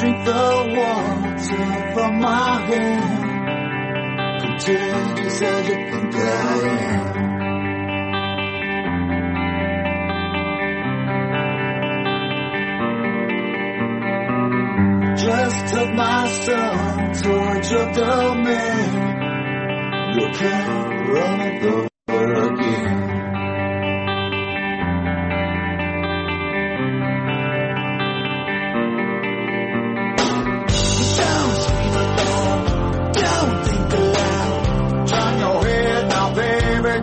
Drink the water from my hand, contagious as you think I am. Just took my son towards your domain. You can't run it over again.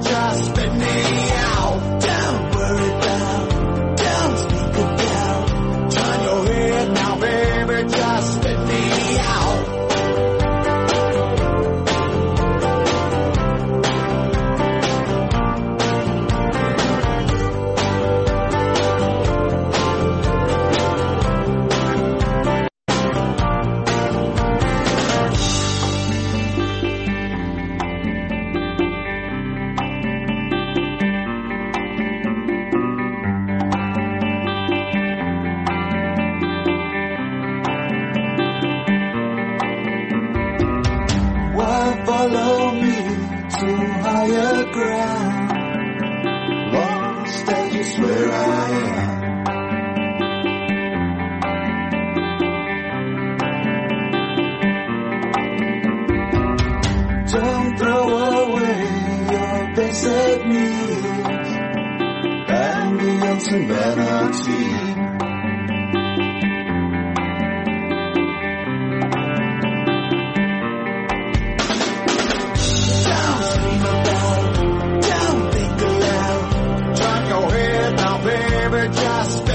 Just spit me out. Don't worry down. Don't speak it down. Turn your head now, baby. Just spit me out. Follow me to higher ground. Lost as you swear I am. Don't throw away your basic needs and the humanity. Just